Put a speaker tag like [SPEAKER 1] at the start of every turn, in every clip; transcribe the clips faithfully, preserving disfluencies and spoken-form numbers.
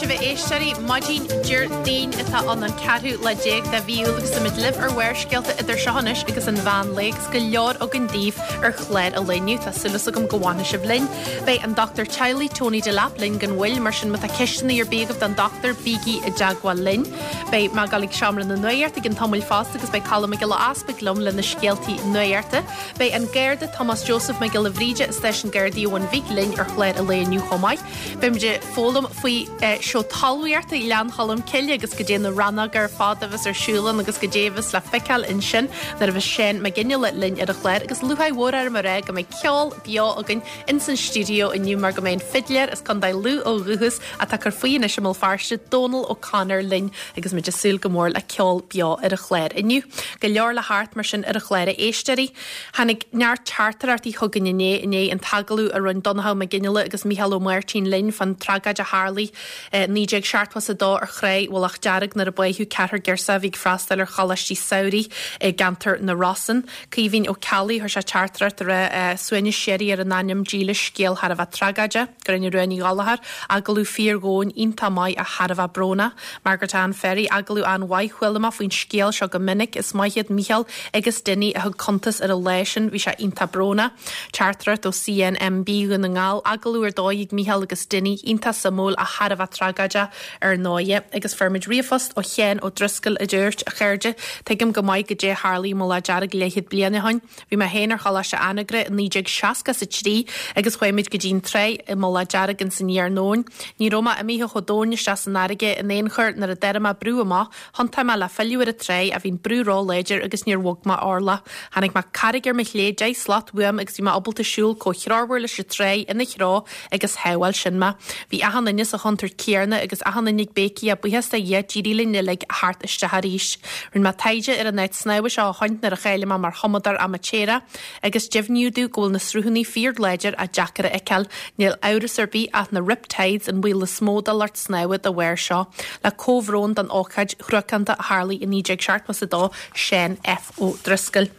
[SPEAKER 1] sibh a éisteoirí maidin Déardaoin atá ann an ceathrú lá déag de mhí Iúil agus táimid libh ar Bharrscéalta idir seo anois agus an mheán lae agus go leor againn daoibh ar chlár an lae inniu tá súil agam go bhfanfaidh sibh linn. Beidh an dochtúir teaghlaigh Tony Delap linn gan mhoill mar sin má tá ceisteanna ar bith agaibh don dochtúir bígí i dteagmháil linn. Beidh mé ag dul ag seomra na nuachta i gceann tamaill fosta agus beidh Colm Mac Giolla Easpaig liom le na scéaltaí nuachta. Beidh an Garda Tomás Joseph Mac Giolla Bhríde as Stáisiún Gardaí Abhainn Bhig linn ar chlár an lae inniu chomh maith. Beimid ag foghlaim faoi eh, seó talmhaíochta Ghleann Cholm Cille agus goidé na rannóga ar fad a bheas ar siúl ann agus goidé a bheas le feiceáil ansin nuair a bheas Seán Mac Fhionnghaile linn ar an chlár agus lúcháir mhór orm a rá go mbeidh ceol beo againn ins an stiúideo inniu mar go mbeidh an fidléir as Contae Lú ó dhúchas atá ag cur faoi anois i mBéal Feirste Dónal O'Connor linn agus muid ag súil go mór le ceol beo ar an chlár inniu. Go leor le theacht mar sin ar an chlár a éisteoirí. Tháinig neart teachtaireachtaí chugainn inné inné an t-agallamh a rinne Donnchadh Mac Fhionnghaile agus Mícheál Ó Máirtín linn fan tragóid a tharla eh, naoi déag seachtó a dó ar Thráigh Mhullach Dearg nuair a báitheadh ceathrar girseach a bhí ag freastal ar choláistí samhraidh i gceantar na Rosann. Caoimhín Ó Ceallaigh chuir sé teachtaireacht ar eh, suaimhneas síoraí ar an anam dílis scéal thar a bheith tragóideach, Gráinne Rua Ní Ghallchóir, agallamh fíordhomhain iontach maith ach thar a bheith brónach. Margaret Ann Ferry agallamh an-mhaith chuala mé faoin scéal seo go minic is maith iad Mícheál agus Dinny a thug cuntas ar an lá sin bhí sé iontach brónach. Teachtaireacht ó CNMB Dhún na nGall agallamh ar dóigh ag Mícheál agus Dinny iontach suimiúil ach thar a bheith tragóideach ar ndóigh agus fuair muid ríomhphost ó Sheán Ó Driscoll a dúirt a chairde tuigim go maith goidé tharla i Mullach Dearg leathchéad bliain ó shin. Bhí mé féin ar Choláiste Anagaire i naoi déag seasca a trí agus chuaigh muid go dtí an trá i Mullach Dearg in san iarnóin. Ní raibh mé imithe chomh domhain isteach san fharraige in aon chor nuair a d'airigh mé brú amach, thiontaigh mé le filleadh ar an trá ach bhí an brú ró-láidir agus níor bhog mé orlach. Tháinig mé carraig ar mo chlé deich slat uaim agus bhí mé ábalta siúl chomh threormhar leis an trá ina threo agus shábháil sin mé. Bhí achan duine sa chontúirt chéanna agus achan duine ag béicíl buíochas do Dhia d'éirigh linn uilig theacht isteach arís. Rinne mé taighde ar an áit snámha seo ó shin nuair a cháiligh mé mar thumadóir amaitéarach agus deimhníodh domh go bhfuil na sruthanna fíorláidir ach deacair a fheiceáil, níl amhras ar bith ach na riptides an baol is mó do lucht snámha dá bharr seo, le comhbhrón don ócáid thruacánta a tharla i naoi déag seachtó a dó Seán F. Ó Driscoll.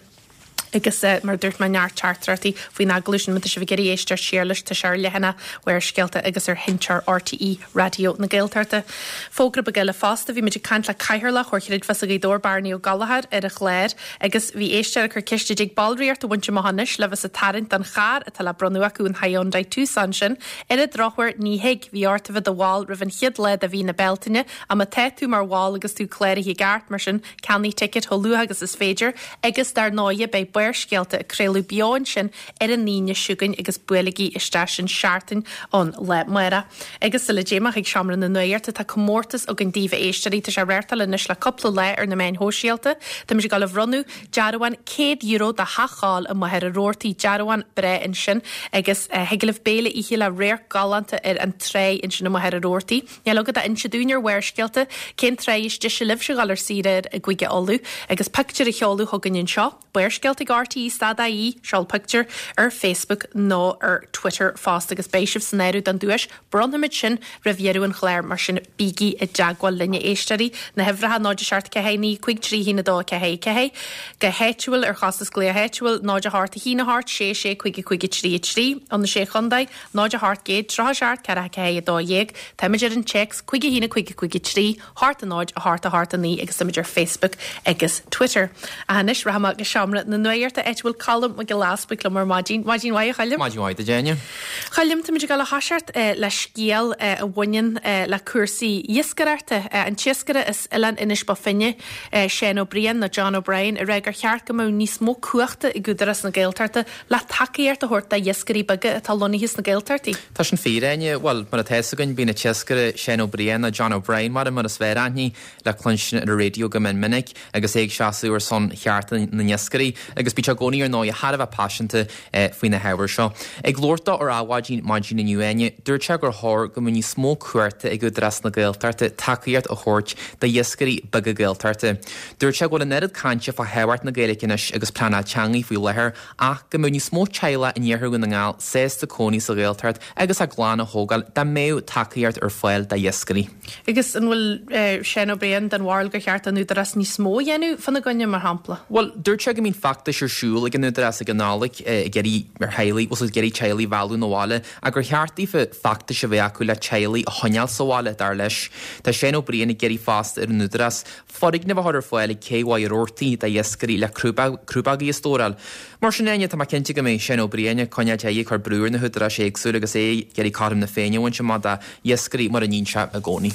[SPEAKER 1] agus uh, mar dúirt mé neart teachtaireachtaí faoin agallamh sin tá sibh ag iarraidh éisteacht siar leis tá sé ar leathanach Bharrscéalta agus ar sheinnteoir RTÉ Raidió na Gaeltachta. Fógra beag eile fosta bhí muid ag caint le Cathaoirleach Chomhar Creidmheasa Ghaoth Dobhair Bearnaí Ó Gallchóir ar an chlár agus bhí éisteoir ag cur ceiste dtig ballraíocht a bhaint amach anois le bheith sa tarraingt don charr atá le bronnadh acu an Hyundai Tucson sin ar an drochuair ní thig bhí ort a bheith i do bhall roimh an chéad lá de mhí na Bealtaine ach má tá tú mar bhall agus tú cláraithe i gceart mar sin ceannaigh ticket chomh luath agus is féidir agus dar ndóigh beidh Barrscéalta ag craoladh beo ansin ar an Aoine seo chugainn agus buailigí isteach sin seachtain ón lá amárach. Agus sula dtéim ag seomra na nuachta tá comórtas againn daoibh a éisteoirí tá sé réirtal anois le cúpla lá ar na meáin shóisialta, Tá muid ag dul a bhronnadh dearbhán céad euro do theach i Machaire Rabhartaigh dearbhán breá ansin agus uh, thig libh béile a ithe le radharc galánta ar an trá ansin i Machaire Rabhartaigh. Níl agaibh ach inse dúinn ar Bharrscéalta cén trá is deise libhse a dhul ar saoire i gCúige Uladh agus pictiúr a sheoladh chugainn anseo. Barrscéalta ag RTÉ stad ie seol pictiúr ar Facebook nó ar Twitter fosta agus beidh sibh san áireamh don duais bronnfaimid sin roimh dheireadh an chláir mar sin bígí i dteagmháil linne éisteoirí na huimhreacha náid seacht ceathair naoi cúig trí haon a dó ceathair ceathair go háitiúil ar chostas glaoch áitiúil náid a hocht a haon a hocht sé sé cúig cúig trí trí an na sé chontae náid a hocht céad tríocha seacht ceathair ceathair a dó dhéag Táimid ar an téacs cúig a haon cúig cúig trí hocht a náid a hocht a hocht a naoi agus táimid ar Facebook agus Twitter. Anois rachaidh mé go seomra na nuachta áit a bhfuil Colm Mac Giolla Easpaig liom ar maidin Maidin mhaith a Choilm?
[SPEAKER 2] Maidin mhaith duit Áine.
[SPEAKER 1] Choilm tá muid ag dul a thoiseacht eh, le scéal eh, a bhaineann eh, le cúrsaí iascaireachta an t-iascaire as Oileán Inis Bó Finne Seán Ó Briain nó John O'Brien a rá gur cheart go mbeadh níos mó cumhachta ag Údarás na Gaeltachta le tacaíocht a thabhairt do iascairí beaga atá lonnaithe sna Gaeltachtaí.
[SPEAKER 2] Tá sin fíor Áine well mar atá againn bíonn an t-iascaire Seán Ó Briain nó John O'Brien mar mar is fearr aithne le cluinstin ar an raidió go mion minic agus é ag seasamh ar son chearta na n-iascairí agus bíonn sé i gcónaí ar ndóigh thar a bheith paiseanta eh, faoi na hábhair seo. Ag labhairt dó ar Adhmhaidin maidin inniu Áine, dúirt sé gur chóir go mbeadh níos mó cumhachta ag Údarás na Gaeltachta tacaíocht a thabhairt do iascairí beaga Gaeltachta. Dúirt sé go bhfuil an oiread cainte fá thábhacht na Gaeilge anois agus pleanáil teanga faoi láthair ach go mbeadh níos mó teaghlach in iarthar na nGall sásta cónaí sa Ghaeltacht agus a gclann a thógáil dá mbeadh tacaíocht ar fáil do iascairí.
[SPEAKER 1] Agus an bhfuil eh, Seán Ó Briain den bharúil gur cheart an Údarás níos mó a dhéanamh fána gcoinne mar shampla.
[SPEAKER 2] Well, dúirt sé go mbíonn feachtais feachtais ar siúl ag an Údarás ag an Nollaig ag iarraidh ar theaghlaigh, bhfuil ag iarraidh teaghlaigh a mhealladh 'na bhaile ach gur cheart daofa feachtais a bheith acu le teaghlaigh a choinneáil sa bhaile, dar leis. Tá Seán Ó Briain ag iarraidh fosta ar an Údarás foirgneamh a chur ar fáil ag Cé Mhaigh Roarty do iascairí le crúbógaí a stóráil. Mar sin Áine, tá mé cinnte go mbeidh Seán Ó Briain ag coinneáil ag cur brú ar na húdaráis éagsúla agus é ag iarraidh cothrom na Féinne a bhaint amach do iascairí mar a níonn sé i gcónaí.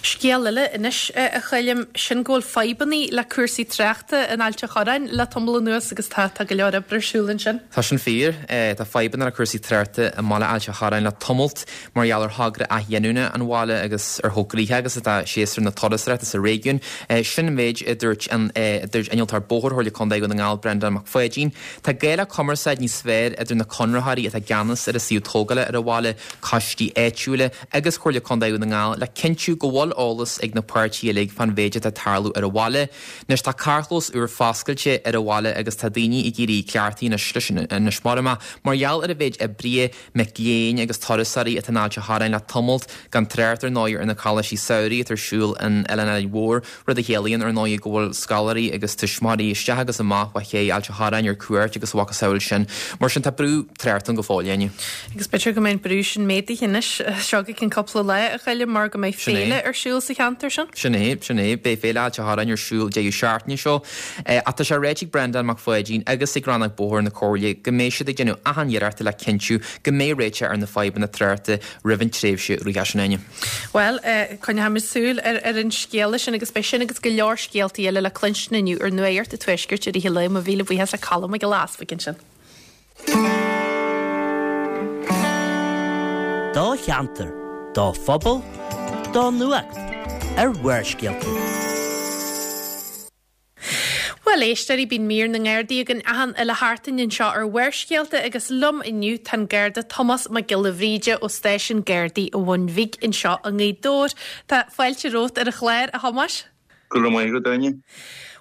[SPEAKER 1] Scéal eile anois a Choilm, sin go bhfuil fadhbanna le cúrsaí tráchta in Ailt a' Chorráin le tamall anuas agus tá tá go leor oibre ar siúl ansin.
[SPEAKER 2] Tá sin fíor. Tá fadhbanna le cúrsaí tráchta i mbaile Ailt a' Chorráin le tamalt mar gheall ar thogra athghiniúna an bhaile agus ar chomh gnoitheach agus atá séasúr na turasóireachta sa réigiún. Sin an méid a dúirt an dúirt innealtóir bóthair Chomhairle Contae Dhún na nGall Breandán Mac Pháidín. Tá gá le cumarsáid níos fearr idir na conraitheoirí atá i gceannas ar an suíomh tógála ar an bhaile, coistí áitiúla agus Comhairle Contae Dhún na nGall le cinntiú go bhfuil eolas ag na páirtithe uilig fán mhéid atá ag tarlú ar an bhaile. Anois tá carrchlós úr foscailte ar an bhaile agus tá daoine ag éirí cleachtaithe anois leis anois mar mar gheall ar an mhéid oibrithe, mic léinn agus turasóirí atá in Ailt a' Chorráin le tamalt gan trácht ar ndóigh ar na coláistí samhraidh atá ar siúl in Oileán Árainn Mhór, rud a chiallaíonn ar ndóigh go bhfuil scoláirí agus tuismitheoirí isteach agus amach ó ché Ailt a' Chorráin ar cuairt agus a mhacasamhail sin. Mar sin tá brú tráchta ann go fóill Áine.
[SPEAKER 1] Agus b'fhéidir go mbeidh an brú sin méadaithe anois seo go ceann cúpla lá a Choilm mar go mbeidh féile ar siúl sa cheantar sin.
[SPEAKER 2] Sin é, sin é, beidh féile Ailt a' Chorráin ar siúl deireadh seachtaine seo. Ach tá sé ráite ag Breandán Mac Pháidín agus ag Rannóg Bóthair na Comhairle go mbeidh siad ag déanamh achan iarracht le cinntiú go mbeidh réiteach ar na fadhbanna tráchta roimh an tréimhse reatha sin Áine.
[SPEAKER 1] Well, coinneoimid súil ar ar an scéal sin agus beidh sin agus go leor scéaltaí eile le cluinstin inniu ar Nuacht an Tuaiscirt i rith an lae mo mhíle buíochas le Colm Mac Giolla Easbuig ansin.
[SPEAKER 3] Do cheantar, do phobal, do nuacht ar Bharrscéalta.
[SPEAKER 1] Bhuel éisteoirí bíonn mír na nGardaí againn achan uile sheachtain anseo ar Bharrscéalta agus liom inniu tá an Garda Tomás Mac Giolla Bhríde ó Stáisiún Gardaí an Bhun Bhig anseo i nGaoth Dobhair. Tá fáilte romhat ar an chlár a Thomáis.
[SPEAKER 4] Go raibh maith agat Áine.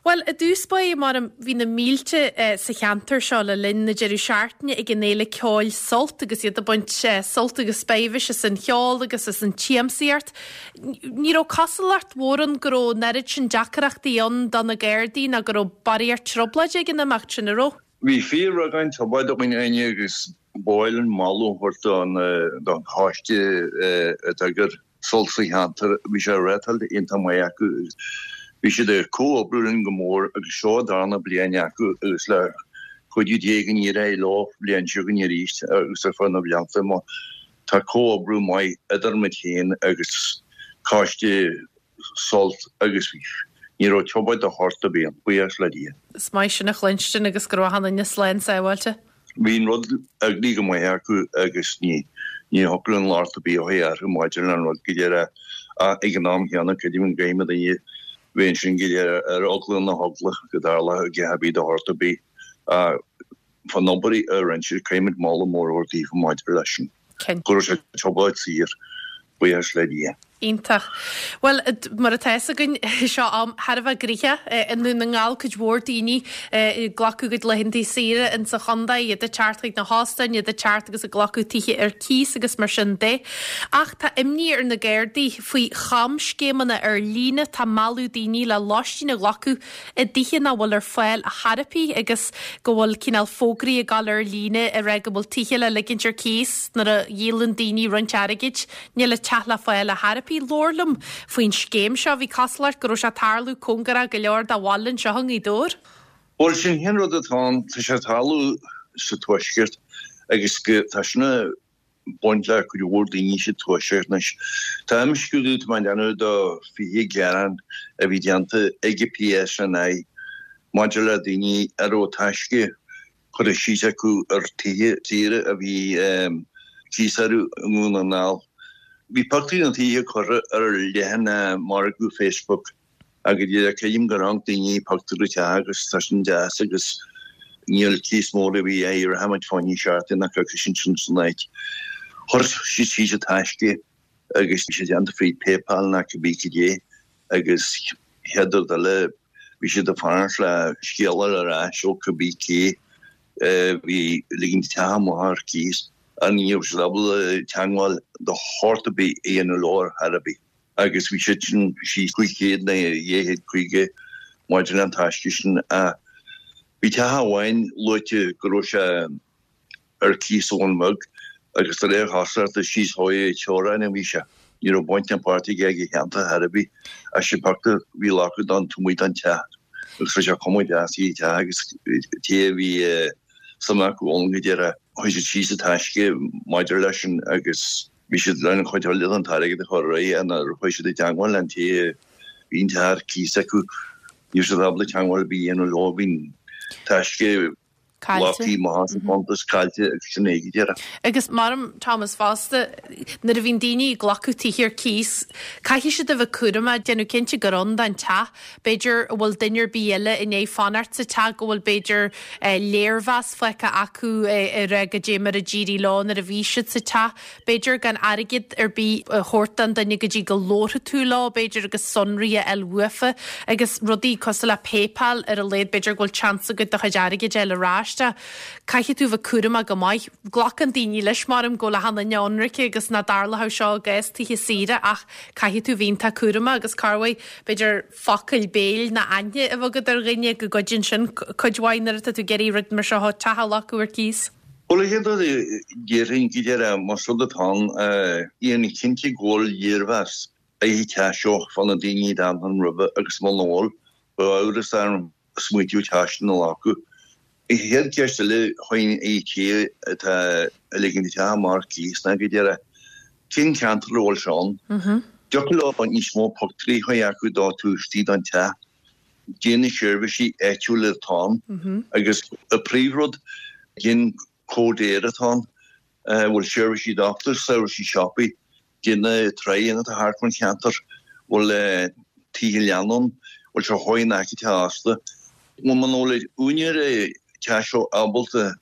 [SPEAKER 1] Bhuel, i dtús báire mar bhí na mílte sa cheantar seo le linn na deireadh seachtaine ag an fhéile ceoil Sult agus iad ag baint sult agus spéis as an cheol agus as an tsiamsaíocht. Ní raibh cosúlacht mhór ann go raibh an oiread sin deacrachtaí ann do na Gardaí ná go raibh barraíocht trioblóide ag an imeacht sin, an raibh?
[SPEAKER 4] Bhí fíorbheagán trioblóide againn Áine agus ba mhaith linn moladh a thabhairt don don choiste a d'eagraigh Sult sa cheantar. Bhí sé reáchtáilte iontach maith acu. Bhí siad ag comhoibriú linn go mór agus seo an darna bliain acu agus le cuidiú Dé go n-éireoidh leo bliain seo chugainn arís agus ar feadh na blianta mar tá comhoibriú maith idir muid féin agus coiste Sult agus ní raibh trioblóid de shórt ar bith ann, buíochas le Dia.
[SPEAKER 1] Is maith sin a chluinstin agus go raibh achan duine slán sábháilte.
[SPEAKER 4] Bhí an rud eagraithe go maith acu agus ní ní thiocfadh linn locht ar bith a chur orthu maidir le an rud go léir ach ag an am chéanna creidim go gcaithfidh daoine bheith ansin go léir ar eagla na heagla go dtarlódh a dhath ar bith de shórt ar bith fán obair a rinne siad caithfimid moladh mór a thabhairt daofa maidir leis sin. Go raibh sé trioblóid saor, buíochas le Dia.
[SPEAKER 1] Iontach. Bhuel, mar atá fhios againn, seo am thar a bheith gnoitheach i nDún na nGall, cuid mhór daoine ag glacadh a gcuid laethanta saoire in sa chontae, iad ag teacht chuig na hóstáin, iad ag teacht agus ag glacadh tithe ar cíos agus mar sin de. Ach tá imní ar na Gardaí faoi chamscéimeanna ar líne, tá ag mealladh daoine le lóistín a ghlacadh i dtithe nach bhfuil ar fáil ar chor ar bith agus go bhfuil cineál fógraí ag dul ar líne ag rá go bhfuil tithe le ligint ar cíos nuair a dhíolann daoine roinnt airgid, níl an teach le fáil ar chor ar bith. Labhair liom faoin scéim seo. Bhí cosúlacht go raibh sé ag tarlú cóngarach go leor do bhaile anseo i nGaoth Dobhair.
[SPEAKER 4] Bhuel, sin an rud atá ann, tá sé ag tarlú sa Tuaisceart agus go, tá sin ag baint le cuid mhór daoine sa Tuaisceart anois. Tá imscrúdú atá á dhéanamh do fiche gearán a bhí déanta ag an PSNI maidir le daoine a raibh taisce curtha síos acu ar tithe saora a bhí cíos orthu i nDún na nGall. Bhí pictiúirí na tithe curtha ar leathanach margaidh Facebook agus creidim gur amharc daoine pictiúr an teach agus tá sin deas agus níl cíos mór ar bith á iarraidh rachaimid fá choinne seachtain nó coicís ansin san áit. Chuir siad síos an taisce agus bhí sé déanta fríd PayPal nó cibé cad é agus chéad rud eile bhí siad ag fanacht le scéala ar ais ó cibé cé a bhí ag ligint an teach amach ar cíos. Ach ní raibh siad ábalta teagmháil de shórt ar bith a dhéanamh leo ar chor ar bith agus bhí siad sin síos cúig chéad nó dhá chéad caoga maidir le an taisce sin ach Bhí teach amháin luaite go raibh sé ar cíos sa Bhun Bheag agus de réir cosúlachta síos thóigh teorainn a bhí sé. Ní raibh baint ná páirt aige ag an cheantar ar bith ach sé pictiúr a bhí glactha don taobh amuigh den teach agus bhí sé cuma deas ar an teach agus té a bhí suim acu ann go deireadh chuir siad síos an taisce maidir leis sin agus bhí siad lena chuid eile den t-airgead a chur ar aghaidh nuair a chuaigh siad i dteangmháil le an té a bhí an teach ar cíos acu ní raibh siad ábalta teangmháil ar bith a dhéanamh leo bhí an taisce
[SPEAKER 1] Caillte.
[SPEAKER 4] Amach as an gcuntas caillte agus sin é go deireadh.
[SPEAKER 1] Agus maram Thomas fosta, nuair a bhíonn daoine ag glacadh tithe ar cíos, caithfidh siad a bheith cúramach, déanamh cinnte gur ann don teach. B'fhéidir an bhfuil duine ar bith eile i ndiaidh fanacht sa teach, go bhfuil b'fhéidir léirmheas faighte acu ar goidé mar a d'éirigh leo nuair a bhí siad sa teach. B'fhéidir gan airgead ar bith a thabhairt don duine go dtí go labharfaidh tú leo, b'fhéidir, agus sonraí a fháil uafa agus rudaí cosúil le PayPal ar a laghad, b'fhéidir go bhfuil seans agat do chuid airgid a fháil ar ais. Caithfidh tú bheith cúramach go maith. Glacann daoine leis, maram, go bhfuil achan duine ionraice agus nach dtarlódh seo i gcás tithe saoire ach caithfidh tú bheith iontach cúramach agus corruair, b'fhéidir, focail béil ná aithne a bheith agat ar dhuine go gcuidíonn sin cuid mhaith nuair atá tú ag iarraidh rud mar seo, teach a ghlacadh ar cíos.
[SPEAKER 4] Bhuel, an chéad rud a déarfainn go deireadh, más rud atá ann, déan cinnte go bhfuil léirmheas ar an teach seo fá na daoine a d'fhan ann roimhe agus muna bhfuil, bheadh amhras orm smaoitiú teach sin a ghlacadh. An chéad cheist eile a chuirfinn ar an té atá ag ligean an teach amach ar cíos ná go deireadh, cén ceantar a bhfuil sé ann? Dtiocfadh leo níos mó pictiúirí a chur acu dó taobh istigh den teach, cad é na seirbhísí áitiúla atá ann agus an príomhrud, cén cód Éire atá ann, an bhfuil seirbhísí dochtúir, seirbhísí siopaí, cad é na tráigheanna atá thart fán cheantar, bhfuil tithe leanna ann, bhfuil sé chomh in aice teach ósta. Bhuel, muna bhfuil úinéir an teach seo ábalta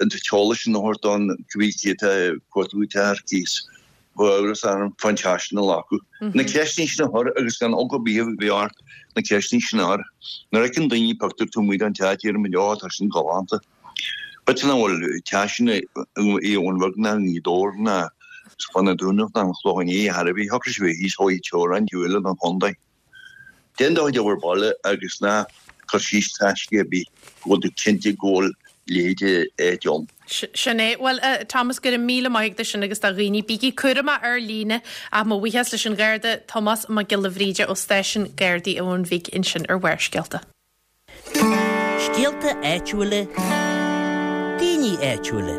[SPEAKER 4] an t-eolas sin a thabhairt don cibé cé atá ag cuartú teach ar cíos, bheadh amhras orm fán teach sin a ghlacadh. Na ceisteanna sin a chur agus gan eagla ar bith a bheith ort na ceisteanna sin a chur. Nuair a fheiceann daoine pictiúr taobh amuigh den teach deireann muid, Ó, tá sin galánta. B'fhéidir nach bhfuil teach sin i Abhainn Bheag ná i nGaoth Dobhair ná fá na Dúnaibh ná an Chlochán Liath ar chor ar bith, thiocfadh sé bheith thíos thóigh teorainn taobh eile den chontae. Déan do chuid obair baile agus ná cuir síos taisce ar bith go bhfuil tú cinnte go bhfuil leithéid d'áit ann.
[SPEAKER 1] Sin é. Bhuel, a Thomas, go raibh míle maith agat as sin agus do dhaoine, bígí cúramach ar líne ach mo bhuíochas leis an Gharda Tomás Mac Giolla Bhríde ó Stáisiún Gardaí an Bhúin Bhig ansin ar Bharrscéalta.
[SPEAKER 3] Scéalta áitiúla, daoine áitiúla.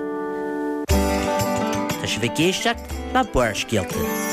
[SPEAKER 3] Tá sibh ag éisteacht le Barrscéalta.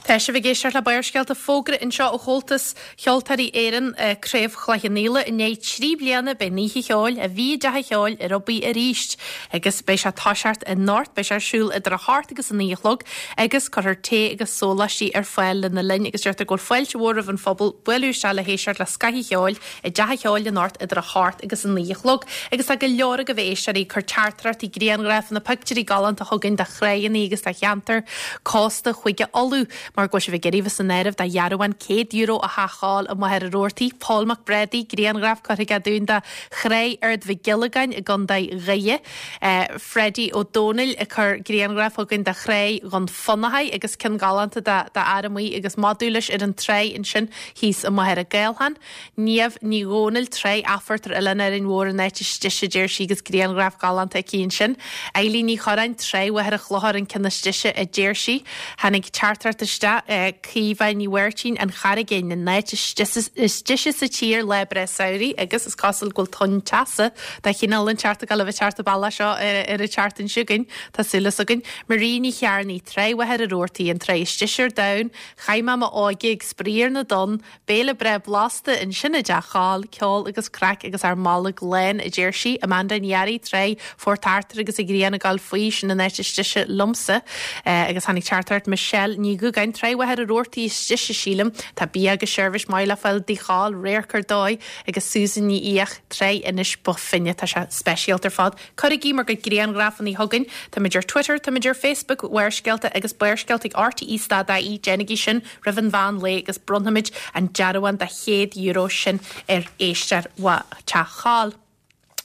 [SPEAKER 1] Tá sibh ag éisteacht le Barrscéalta fógra anseo ó Chomhaltas Cheoltóirí Éireann Craobh Chloich Cheann Fhaola i ndiaidh trí bliana beidh an oíche cheoil a bhí i dTeach an Cheoil ar obair arís agus beidh sé ag toiseacht anocht beidh sé ar siúl idir a hocht agus a naoi a chlog agus cuirfear tae agus sóláistí ar fáil lena linn agus deirtear go bhfuil fáilte mhór roimh an phobal bualadh isteach le héisteacht le scoth an cheoil i dTeach an Cheoil anocht idir a hocht agus a naoi a chlog agus tá go leor agaibh a éisteoirí ag cur teachtaireachtaí grianghrafanna pictiúirí galánta chugainn de thráigheanna agus de cheantar cósta Chúige Uladh mar go bhfuil sibh ag iarraidh bheith san áireamh do dhearbhán céad euro a Theach Chóil i Machaire Rabhartaigh, Pól Mac Brádaigh, grianghraf curtha aige dúinn de Thráigh Ard Mhic Giollagáin i gContae Dhoire, Freddie Ó Dónaill ag cur grianghraf chugainn de Thráigh Dhún Fionnachaidh agus ceann galánta de d'fhear amuigh agus madadh leis ar an tráigh ansin thíos i Machaire Gathlán. Niamh Ní Dhomhnaill, Tráigh Athphort ar Oileán Árainn Mhór an áit is deise a deir sí agus grianghraf galánta aici ansin. Eilín Ní Chorráin, Tráigh Mhachaire Chlochair an ceann is deise a deir sí. Tháinig teachtaireacht isteach, Caoimhe Ní Mháirtín, An Charraig Fhinn, an áit is deise sa tír lá breá samhraidh agus is cosúil go bhfuil tonn teasa de chineál inteacht ag dul a bheith ag teacht an bealach seo ar an tseachtain seo chugainn, tá súil as againn. Marie Ní Chearnaigh, Tráigh Mhachaire Rabhartaigh, an tráigh is deise ar domhan, Chaith mé m'óige ag spraoi ar na dtonn, béile breá blasta ansin i dTeach Chóil, ceol agus craic agus ár mbolg lán, a deir sí. Amanda Ní Fhearraigh, Tráigh Phort Arthur agus an ghrian ag gabháil faoi, sin an áit is deise liomsa. Agus tháinig teachtaireacht Michelle Ní Dhúgáin, Tráigh Mhachaire Rabhartaigh is deise, sílim. Tá bia agus seirbhís maith le fáil i dTigh Chóil, radharc ar dóigh, agus Susan Ní Fhiaich, Tráigh Inis Bó Finne. Tá sé speisialta ar fad. Cuirigí bhur gcuid grianghrafanna chugainn. Táimid ar Twitter, táimid ar Facebook, Bharrscéalta agus Barrscéalta ag RTE stad ie. Déanaigí sin roimh an mheán lae agus bronnfaimid an dearbhán de chéad euro sin ar éisteoir Teach Chóil.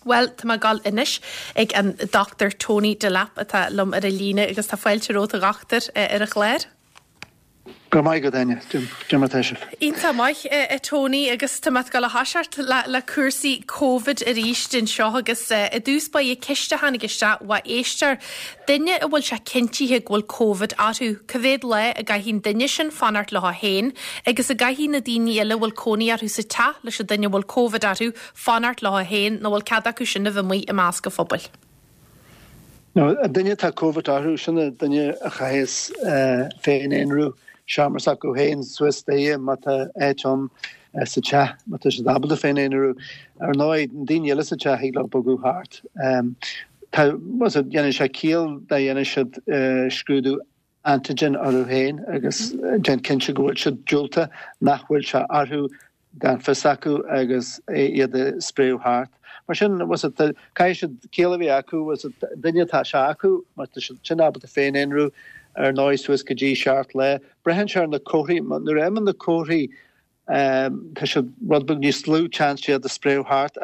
[SPEAKER 1] Bhuel, tá mé ag dul anois ag an Dochtúir Tony Delap atá liom ar an líne agus tá fáilte romhat a dhochtúir ar an chlár.
[SPEAKER 5] Go raibh maith agat, Áine. Cad é mar atá sibh?
[SPEAKER 1] Iontach maith, a Tony, agus tá mé ag dul a thoiseacht le le cúrsaí Covid arís anseo agus i dtús báire ceist a tháinig isteach ó éisteoir, duine a bhfuil sé cinntithe go bhfuil Covid orthu, cá mhéad lá a gcaithfidh an duine sin fanacht leo féin agus an gcaithfidh na daoine eile a bhfuil cónaí orthu sa teach leis an duine a bhfuil Covid orthu fanacht leo féin nó bhfuil cead acu sin a bheith amuigh i measc an phobail?
[SPEAKER 5] No, an duine atá Covid orthu, sin an duine a chaithfeas féin-aonrú, seomra s'acu féin suas staighre má tá áit ann sa teach, má tá siad ábalta féin-aonrú. Ar ndóigh, na daoine eile sa teach thig leo bogadh thart. Tá, dhéanann sé ciall dá dhéanann siad scrúdú antigen orthu féin agus déan cinnte go bhfuil siad diúltach, nach bhfuil sé orthu gan fios acu agus iad a spréadh thart. Mar sin, caithfidh siad ciall a bheith acu, duine atá sé acu, má tá siad sin ábalta féin-aonrú, ar ndóigh, suas go dtí seacht lá. Braitheann sé ar na comharthaí, nuair a imíonn na comharthaí, tá sé rud beag níos lú chance iad a spréadh thart.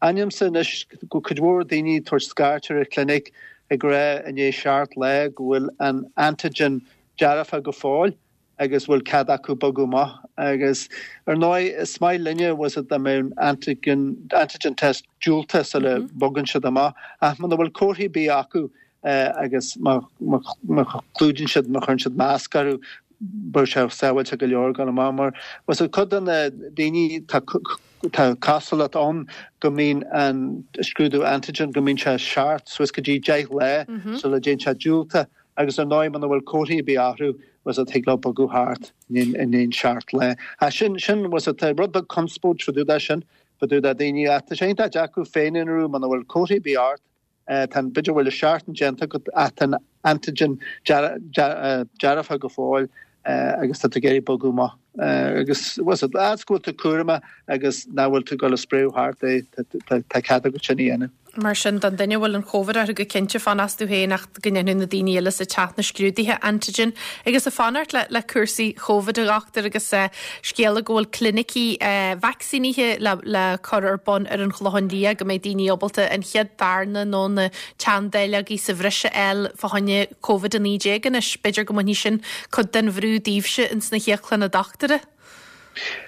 [SPEAKER 5] Aithnímse anois go cuid mhór daoine ag tabhairt scairt ar an chlinic ag rá i ndiaidh seacht lá go bhfuil an antigen dearfa go fóill agus bhfuil cead acu bogadh amach agus ar ndóigh is maith linne was it dá mbeadh an antigen, antigen test diúltach sula bogann siad amach ach muna bhfuil comharthaí ar bith acu agus má má chlúdaíonn siad má chuireann siad masc orthu beidh sé sábháilte go leor dul amach mar was it cuid de na daoine tá tá cosúlacht ann go mbíonn an scrúdú antigen go mbíonn sé seacht suas go dtí deich lá sula dtéann sé diúltach agus ar ndóigh muna bhfuil comharthaí ar bith orthu was it thig leo bogadh thart i ndiaidh seacht lá. Ach sin sin was it tá rud beag conspóid fá dtaobh de sin fá dtaobh de daoine ach tá sé iontach deacair féin-aonrú muna bhfuil comharthaí ar bith ort tá an b'fhéidir bhfuil an seachtain déanta agat ach tá an antigen dearfa go fóill agus tá tú ag iarraidh bogadh amach agus was it as go bhfuil tú cúramach agus nach bhfuil tú ag dul a spréadh thart é tá cead agat sin a dhéanamh.
[SPEAKER 1] Mar sin, don duine a bhfuil an Covid orthu go cinnte fan astu féin ach go ndéanfaidh na daoine eile sa teach na scrúduithe antigen agus ag fanacht le le cúrsaí Covid a dhochtúir agus scéala go bhfuil clinicí vacsaínithe le le cur ar bun ar an Chlochán Liath go mbeidh daoine ábalta an chéad darna nó na teanndáileogaí sa bhreis a fháil fá choinne Covid a naoi déag anois. B'fhéidir go mbainfidh sin cuid den bhrú daoibhse ins na híoclanna dochtúra.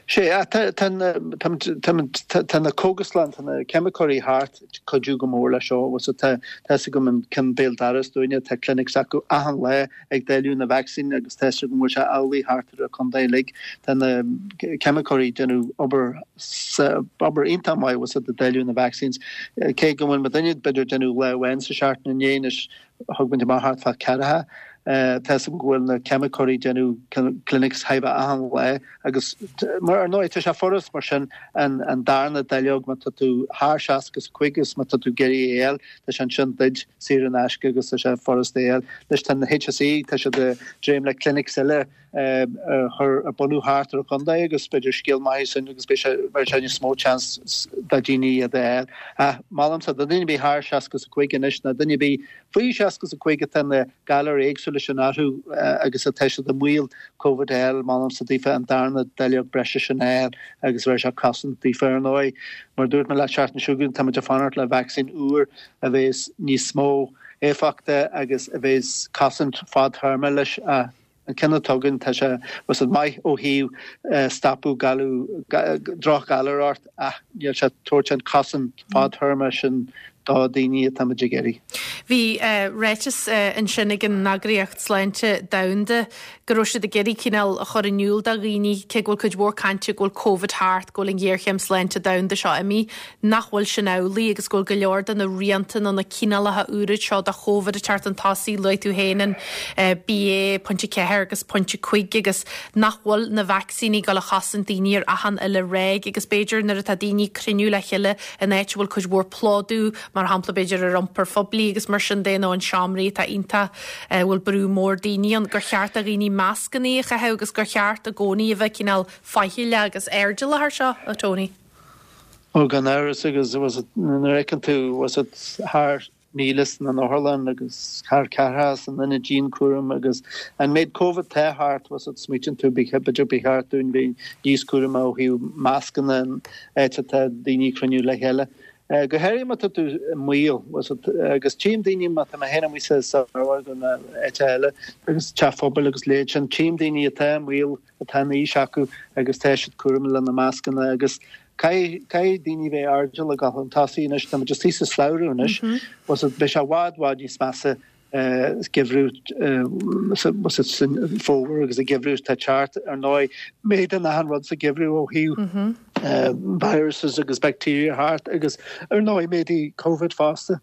[SPEAKER 5] Sea, tá na cógaslann, tá na ceimiceoirí thart ag cuidiú go mór leis seo. Tá fhios agam an ceann béal dorais dúinne, tá clinics acu achan lá ag dáileadh na vacsaín agus tá fhios agam go bhfuil sé amhlaidh thart ar an chontae uilig. Tá na ceimiceoirí ag déanamh obair obair iontach maith bhfuil ag dáileadh na vaccines. Cé go bhfuil muidinne b'fhéidir ag déanamh lá amháin sa seachtain inné anois thug muid amach thart fá ceathracha. Tá fhios agam go bhfuil na ceimiceoirí ag déanamh clinics chóir a bheith achan lá agus mar ar ndóigh tá sé furast mar sin an an darna dáileog má tá tú thar seasca is a cúig agus má tá tú ag iarraidh é a fháil tá sé ansin duit saor in aisce agus tá sé furast é a fháil. Anois tá na HSE tá siad ag dréim le clinics eile a chur a bunú thart ar an chontae agus b'fhéidir scéal maith é sin agus beidh sé beidh sé níos mó chance do dhaoine iad a fháil. Ach molaimse do duine ar bith thar seasca is a cúig anois nó duine ar bith faoi seasca is a cúig atá na galair éagsúla sin orthu agus atá siad i mbaol Covid a fháil, molaimse daofa an darna dáileog breise sin a fháil agus bheir sé cosaint daofa ar ndóigh. Mar a dúirt mé leat seachtain seo chugainn, táimid ag fanacht le vacsaín úr a bheas níos mó éifeachta agus a bheas cosaint fadtéarma leis. An ceann atá againn, tá sé was it maith ó thaobh stopadh galar, drochghalar ort ach níl sé ag tabhairt an cosaint fadtéarma sin do dhaoine atá muid ag iarraidh.
[SPEAKER 1] Bhí ráiteas ansin ag an Eagraíocht Sláinte Domhanda go raibh siad ag iarraidh cineál a chur in iúl do dhaoine, cé go bhfuil cuid mhór cainte go bhfuil Covid thart, go bhfuil an ghéarchéim sláinte domhanda seo imithe, nach bhfuil sin amhlaidh agus go bhfuil go leor de na rianta nó na cineálacha úra seo de Chóvid ag teacht chun tosaigh, luaigh tú féin an BA pointe ceathair agus pointe cúig agus nach bhfuil na vacsaíní ag dul a chosaint daoine ar achan uile ráig agus b'fhéidir nuair atá daoine ag cruinniú le chéile in áit a bhfuil cuid mhór plódú, mar shampla b'fhéidir ar iompar phoiblí agus mar sin de nó in seomraí atá iontach a bhfuil brú mór daoine ann, gur cheart do dhaoine mascanna a chaitheamh agus gur cheart i gcónaí a bheith cineál faichilleach agus airdeallach air seo, a Tony.
[SPEAKER 5] Ó gan amhras agus was it nuair a fheiceann tú was it thar míle sna n-otharlann agus thar ceathracha san ionad dianchúraim agus an méid Covid atá thart was it smaoitíonn tú b'fhéidir ba cheart dúinn bheith níos cúramaí ó thaobh mascanna an áit atá daoine ag cruinniú le chéile. Go háirithe má tá tú i mbaol, agus tchím daoine má tá mé féin amuigh sa samhradh nó áit eile agus teach phobail agus leithéid sin, tchím daoine atá i mbaol, atá an aois acu agus tá siad cúramach lena mascanna agus caithfidh caithfidh daoine bheith airdeallach ag dul chun tosaigh anois, tá muid istigh sa slabhra anois, beidh sé i bhfad bhfad níos measa geimhreadh san fómhar agus an geimhreadh atá ag teacht. Ar ndóigh, méadaíonn achan rud sa gheimhreadh ó thaobh viruses agus bacteria thart agus ar ndóigh méadaíonn Covid fosta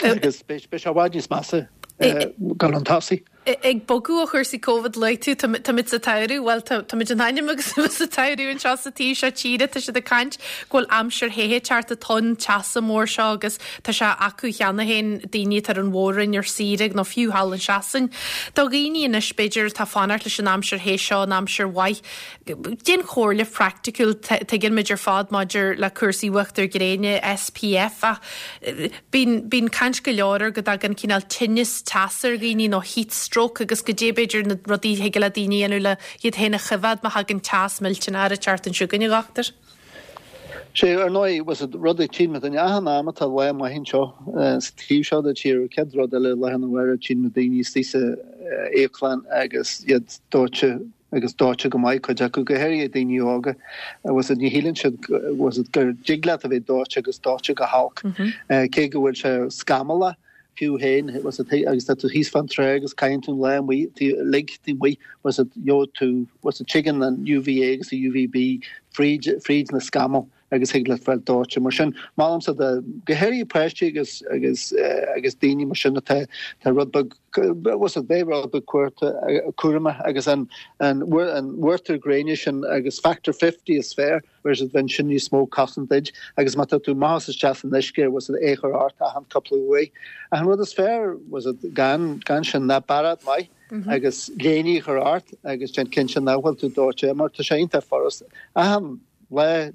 [SPEAKER 5] agus beidh sé i bhfad níos measa dul chun tosaigh.
[SPEAKER 1] Ag bogadh ó chúrsaí Covid, luaigh tú, táimid sa tsamhradh, bhuel táimid in ainm agus a bheith sa tsamhradh anseo sa taobh seo tíre, tá siad ag caint go bhfuil aimsir the ag teacht, an tonn teasa mór seo agus tá sé acu cheana féin, daoine atá ar an mhór-roinn ar saoire nó fiú thall in Sasain. Do dhaoine anois b'fhéidir atá ag fanacht leis an aimsir the seo, an aimsir mhaith, cén chomhairle phraiticiúil tuigeann muid ar fad maidir le cúrsaí uachtar gréine, S P F, ach bíonn bíonn caint go leor ar go dtagann cineál tinneas teasa ar dhaoine nó heat stroke agus goidé b'fhéidir na rudaí thig le daoine a dhéanamh le iad féin a choimhéad má thagann teas millteanach ag teacht anseo chugainn, a dhochtúir.
[SPEAKER 5] Sé ar ndóigh was it rud a tchíonn muid achan am atá lá maith anseo sa taobh seo de tír céad rud eile lá na bhfuair tchíonn muid daoine istigh sa íoclann agus iad dóite agus dóite go maith cuid acu go háirithe daoine óga was it ní shíleann siad was it gur dtig leat a bheith dóite agus dóite go holc cé go bhfuil sé scamallach fiú féin was it agus tá tú thíos fan trá agus caitheann tú an lá amuigh lig taobh amuigh was it gheobhaidh tú was it tigeann an U V A agus an U V B fríd fríd na scamaill agus thig leat fáil dóite mar sin molaimse do go háirithe páistí agus agus agus daoine mar sin atá tá rud beag was it bheith rud beag cúramach agus an an an uachtar gréine sin agus factor fifty is fearr whereas it bheinn sin níos mó cosaint duit agus má tá tú amach isteach san uisce was it é chur ort achan cúpla uair. An rud is fearr was it gan gan sin ná bairéad maith agus léine a chur ort agus déan cinnte nach bhfuil tú dóite mar tá sé iontach furast achan lá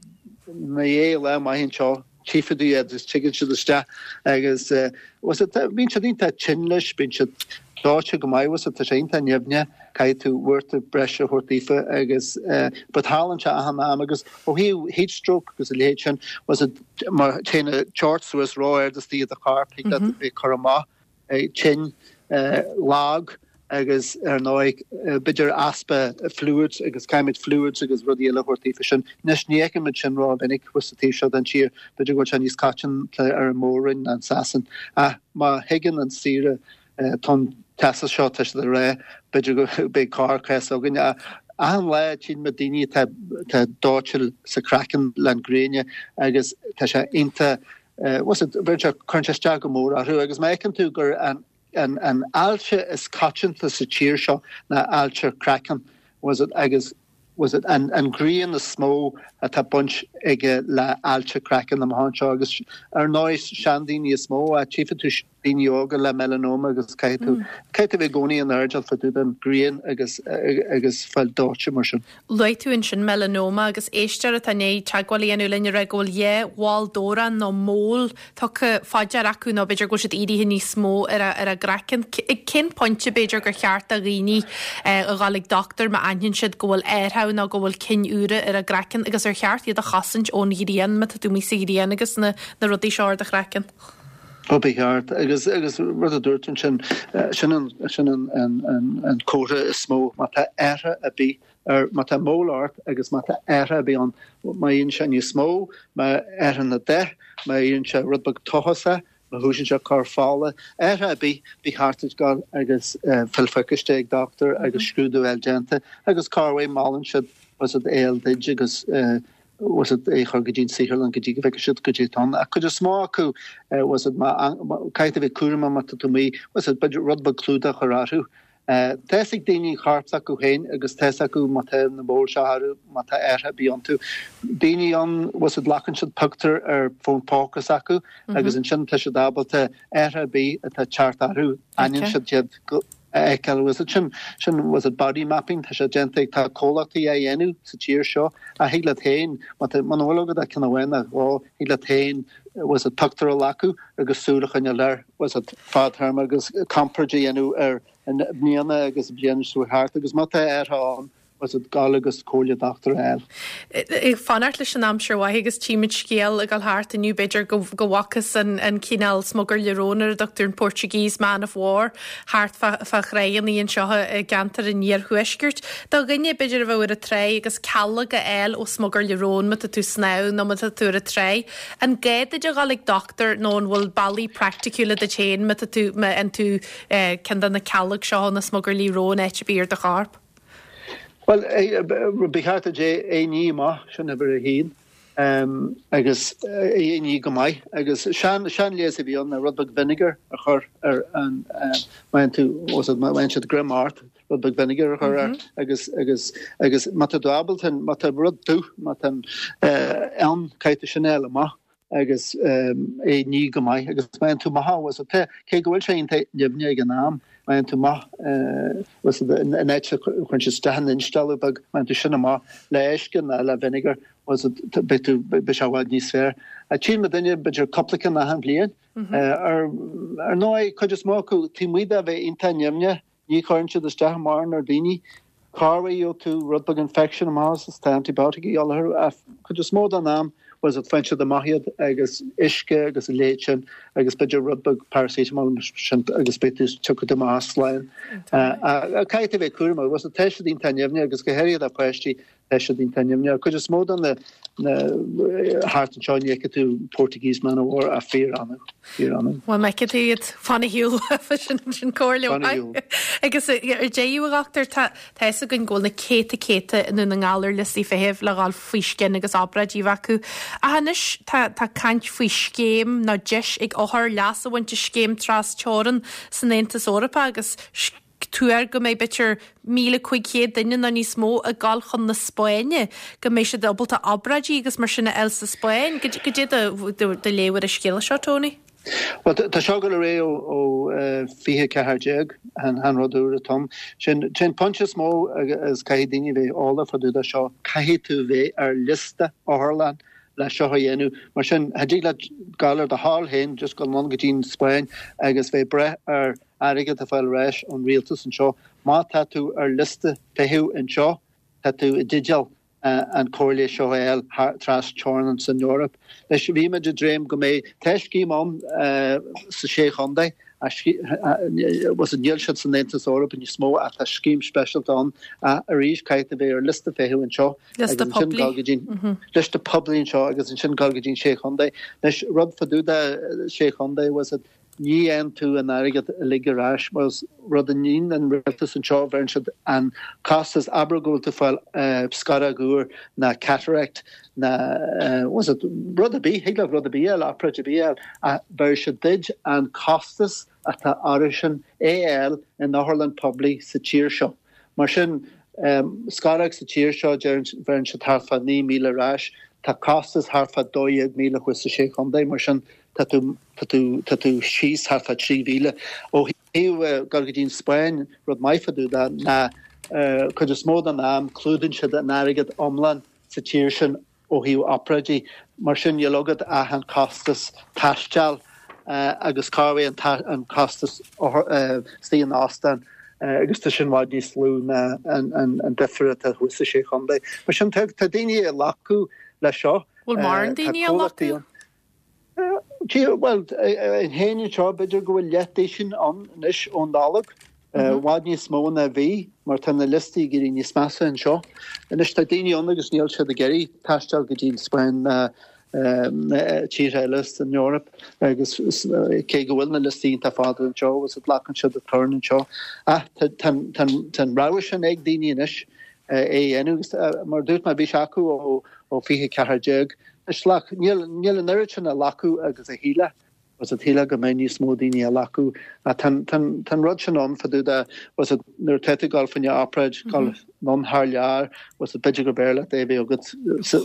[SPEAKER 5] na é lá maith anseo tchífidh tú iad agus tigeann siad isteach agus was it bíonn siad iontach tinn leis bíonn siad dóite go maith was it tá sé iontach nimhneach caithfidh tú uachtar breise a thabhairt daofa agus but tarlaíonn sé achan am agus ó thaobh heat stroke agus a leithéid sin was it mar téann an teocht suas ró-ard istigh i do chorp thig leat bheith cur amach tinn lag agus ar ndóigh b'fhéidir easpa fluids agus caithfimid fluids agus rudaí eile a thabhairt daofa sin. Anois ní fheicimid sin ró-mhinic thuas sa taobh seo den tír, b'fhéidir go bhfuil sé níos coitianta ar an mór-roinn ná in Sasain. Ach má thigeann an saoire tonn teasa seo tá siad ag rá b'fhéidir go beidh corrchás againn. Achan lá tchíonn muid daoine atá atá dóite sa craiceann le an gréine agus tá sé iontach was it bheireann sé cuireann sé isteach go mór orthu agus má fheiceann tú gur an an an ailse is coitianta sa tír seo ná ailse craiceann was it agus was it an an ghrian is mó atá baint aige le ailse craiceann amach anseo agus ar ndóigh seandaoine is mó a tchífidh tú daoine óga le melanoma agus caithfidh tú caithfidh tú bheith i gcónaí in airdeall fá dtaobh den ghrian agus agus fáil dóite mar sin.
[SPEAKER 1] Luaigh tú ansin melanoma agus éisteoir atá i ndiaidh teagmháil a dhéanamh linn a rá go bhfuil dhá mhol dobhrán nó mole tugtha fá dear acu nó b'fhéidir go bhfuil siad éirithe níos mó ar a ar a gcraiceann. Ag cén pointe b'fhéidir gur cheart do dhaoine a dhul ag dochtúir má aithníonn siad go bhfuil athrú nó go bhfuil cinn úra ar a gcraiceann agus ar cheart iad a chosaint ón ghrian má tá tú amuigh sa ghrian agus na na rudaí seo ar do chraiceann.
[SPEAKER 5] Ó ba cheart agus agus rud a dúirt sin sin an sin an an an an comhartha is mó má tá athrú ar bith ar má tá mole ort agus má tá athrú ar bith ann má éiríonn sé níos mó má athraíonn an dath má éiríonn sé rud beag tochasach má thosaíonn sé cur fola athrú ar bith ba cheart duit dul agus fáil pacáiste ag dochtúir agus scrúdú eile déanta agus corruair molann siad was it é a fháil duit agus was it é chur go dtí an saotharlann go dtí go bhfeicfidh siad goidé atá ann. Ach cuid is mó acu was it má caithfidh tú bheith cúramach má tá tú amuigh was it b'fhéidir rud beag clúdach a chur orthu. Tá fhios ag daoine corp s'acu féin agus tá fhios acu má tá na moles seo orthu má tá athrú ar bith iontu. Daoine ann was it glacann siad pictiúr ar fón póca s'acu agus ansin tá siad ábalta athrú ar bith atá teacht orthu aithníonn siad iad go a fheiceáil was it sin sin was it body mapping tá sé déanta ag tá comhlachtaí á dhéanamh sa tír seo a thig leat féin má tá muna bhfuil agat ach ceann amháin nó dhó thig leat féin was it pictiúr a ghlacadh agus súil a choinneáil air was it fadtéarma agus comparáid a dhéanamh ar an bliana agus bliain seo thart agus má tá athrú ann was it gabháil agus comhairle dochtúra a fháil.
[SPEAKER 1] Ag fanacht leis an aimsir mhaith agus tímid scéal ag dul thart inniu b'fhéidir go go bhfacthas an an cineál smugairle róin ar a dtugtar an Portuguese Man of War thart fá fá thráigheanna anseo i gceantar an iarthuaiscirt. Do dhuine b'fhéidir a bheadh ar an tráigh agus cealg a fháil ó smugairle róin má tá tú snámh nó má tá tú ar an tráigh. An gá duit a dhul ag dochtúir nó an bhfuil bealaí praiticiúla duit féin má tá tú má fhaigheann tú ceann de na cealg seo na smugairlí róin áit ar bith ar do chorp?
[SPEAKER 5] Well, ba cheart duit é a ní amach sin uimhir a haon agus é a ní go maith agus sean seanleigheas a bhí ann rud beag vinegar a chur ar an má tú má siad greim ort rud beag vinegar a chur air agus agus agus má tá tú ábalta má tá rud tú má tá an caithfidh sin eile amach agus é ní go maith agus má tú maith was cé go bhfuil sé iontach nimhneach ag an am má tú maith was an áit chun sé isteach an instealladh beag má tú sin amach le uisce ná le vinegar was beidh tú beidh sé i bhfad níos fearr. A tí me duine b'fhéidir cúpla ceann achan bhliain ar ar ndóigh cuid is mó acu taobh amuigh de bheith iontach nimhneach ní chuireann siad isteach mórán ar daoine Carway tú rud beag infection amach is tá antibiotic á cuid is mó den am was it faigheann siad amach iad agus uisce agus a leithéid sin agus b'fhéidir rud beag paracetamol sin agus beidh tú tiocfaidh tú amach slán. Caithfidh tú bheith cúramach was tá siad iontach nimhneach agus go háirithe do pháistí tá siad iontach nimhneach. Cuid is mó den na na thart anseo ní fheicfidh tú Portuguese man of war a fíor-annamh fíor-annamh.
[SPEAKER 1] Well má fheiceann tú iad fan ar shiúl sin sin comhairle
[SPEAKER 5] Fan ar shiúl.
[SPEAKER 1] Agus ar deireadh a dhochtúir tá tá fhios againn go bhfuil na céadta céadta i nDún na nGall ar liostaí feithimh le dhul faoi scian agus obráidí a bheith acu. Ach anois tá tá caint faoi scéim nó deis ag othair leas a bhaint as scéim trasteorann san Aontas Eorpach agus tuar go mbeidh b'fhéidir míle cúig chéad duine nó níos mó ag dul chun na Spáinne, go mbeidh siad ábalta obráidí agus mar sin a fháil sa Spáinn. Cad é do do léamh ar an scéal seo, Tony?
[SPEAKER 5] Well tá seo go ré ó ó fiche ceathair déag an an rud úr atá. Sin sin pointe is mó agus caithfidh daoine bheith eolach fá dtaobh de seo caithfidh tú bheith ar liosta otharlann le seo a dhéanamh. Mar sin cha dtig leat gabháil ar do thoil féin just go anonn go dtí an Spáinn agus bheith breith ar airgead a fáil ar ais ón rialtas anseo. Má tá tú ar liosta feithimh anseo, tá tú i dteideal an chomhairle seo a fháil trasteorann san Eoraip. Leis bhí muid ag dréim go mbeidh tá scéim ann sa sé chontae was níl siad san Aontas Eorpach níos mó ach tá scéim speisialta ann arís caithfidh tú bheith ar liosta feithimh anseo.
[SPEAKER 1] Liosta poiblí.
[SPEAKER 5] Liosta poiblí anseo agus ansin gabháil go dtí sé chontae. Leis rud fá dtaobh de sé chontae was it ní fhaigheann tú an airgead uilig ar ais was rud a níonn an rialtas anseo bheireann siad an costas abair go bhfuil tú fáil scaróg úr ná cataract ná was it rud ar bith thig leat rud ar bith eile obráid ar bith eile a bheir siad duit an costas atá airsean é a fháil in otharlann poiblí sa tír seo. Mar sin um, scaróg sa tír seo bheireann siad thart fá naoi míle ar ais, tá costas thart fá dó dhéag míle thuas sa sé chontae mar sin tá tú tá tú tá tú síos thart fá trí mhíle ó thaobh gabháil go dtí an Spáinn rud maith fá dtaobh de ná cuid is mó den am clúdaíonn siad an airgead iomlán sa tír sin ó thaobh obráidí mar sin níl agat ach an costas taistil agus cá bhfuil an an costas istigh in óstán agus tá sin i bhfad níos lú ná an an an difear atá thuas sa sé chontae. Mar sin tá tá daoine ag glacadh le seo.
[SPEAKER 1] Bhfuil mórán daoine ag glacadh?
[SPEAKER 5] Well in héin seo b'fhéidir go bhfuil leath sin ann anois ón Nollaig. I bhfad níos mó ná bhí mar tá na liostaí ag éirí níos measa anseo. Anois tá daoine ann agus níl siad ag iarraidh taisteal go dtí an Spáinn na tíortha eile san Eoraip agus cé go bhfuil na liostaí iontach fada anseo agus glacann siad a turn anseo. Ach tá an rogha sin ag daoine anois é a dhéanamh agus mar dúirt mé bhí sé acu ó ó fiche ceathair déag. Is níl níl an oiread sin ag glacadh agus a shílfeá was it shílfeá go mbeidh níos mó daoine ag glacadh tá an rud sin ann fá dtaobh de was it nuair atá tú ag gabháil fá choinne obráid gabháil anonn thar lear was it b'fhéidir go b'fhearr leat é a bheith agat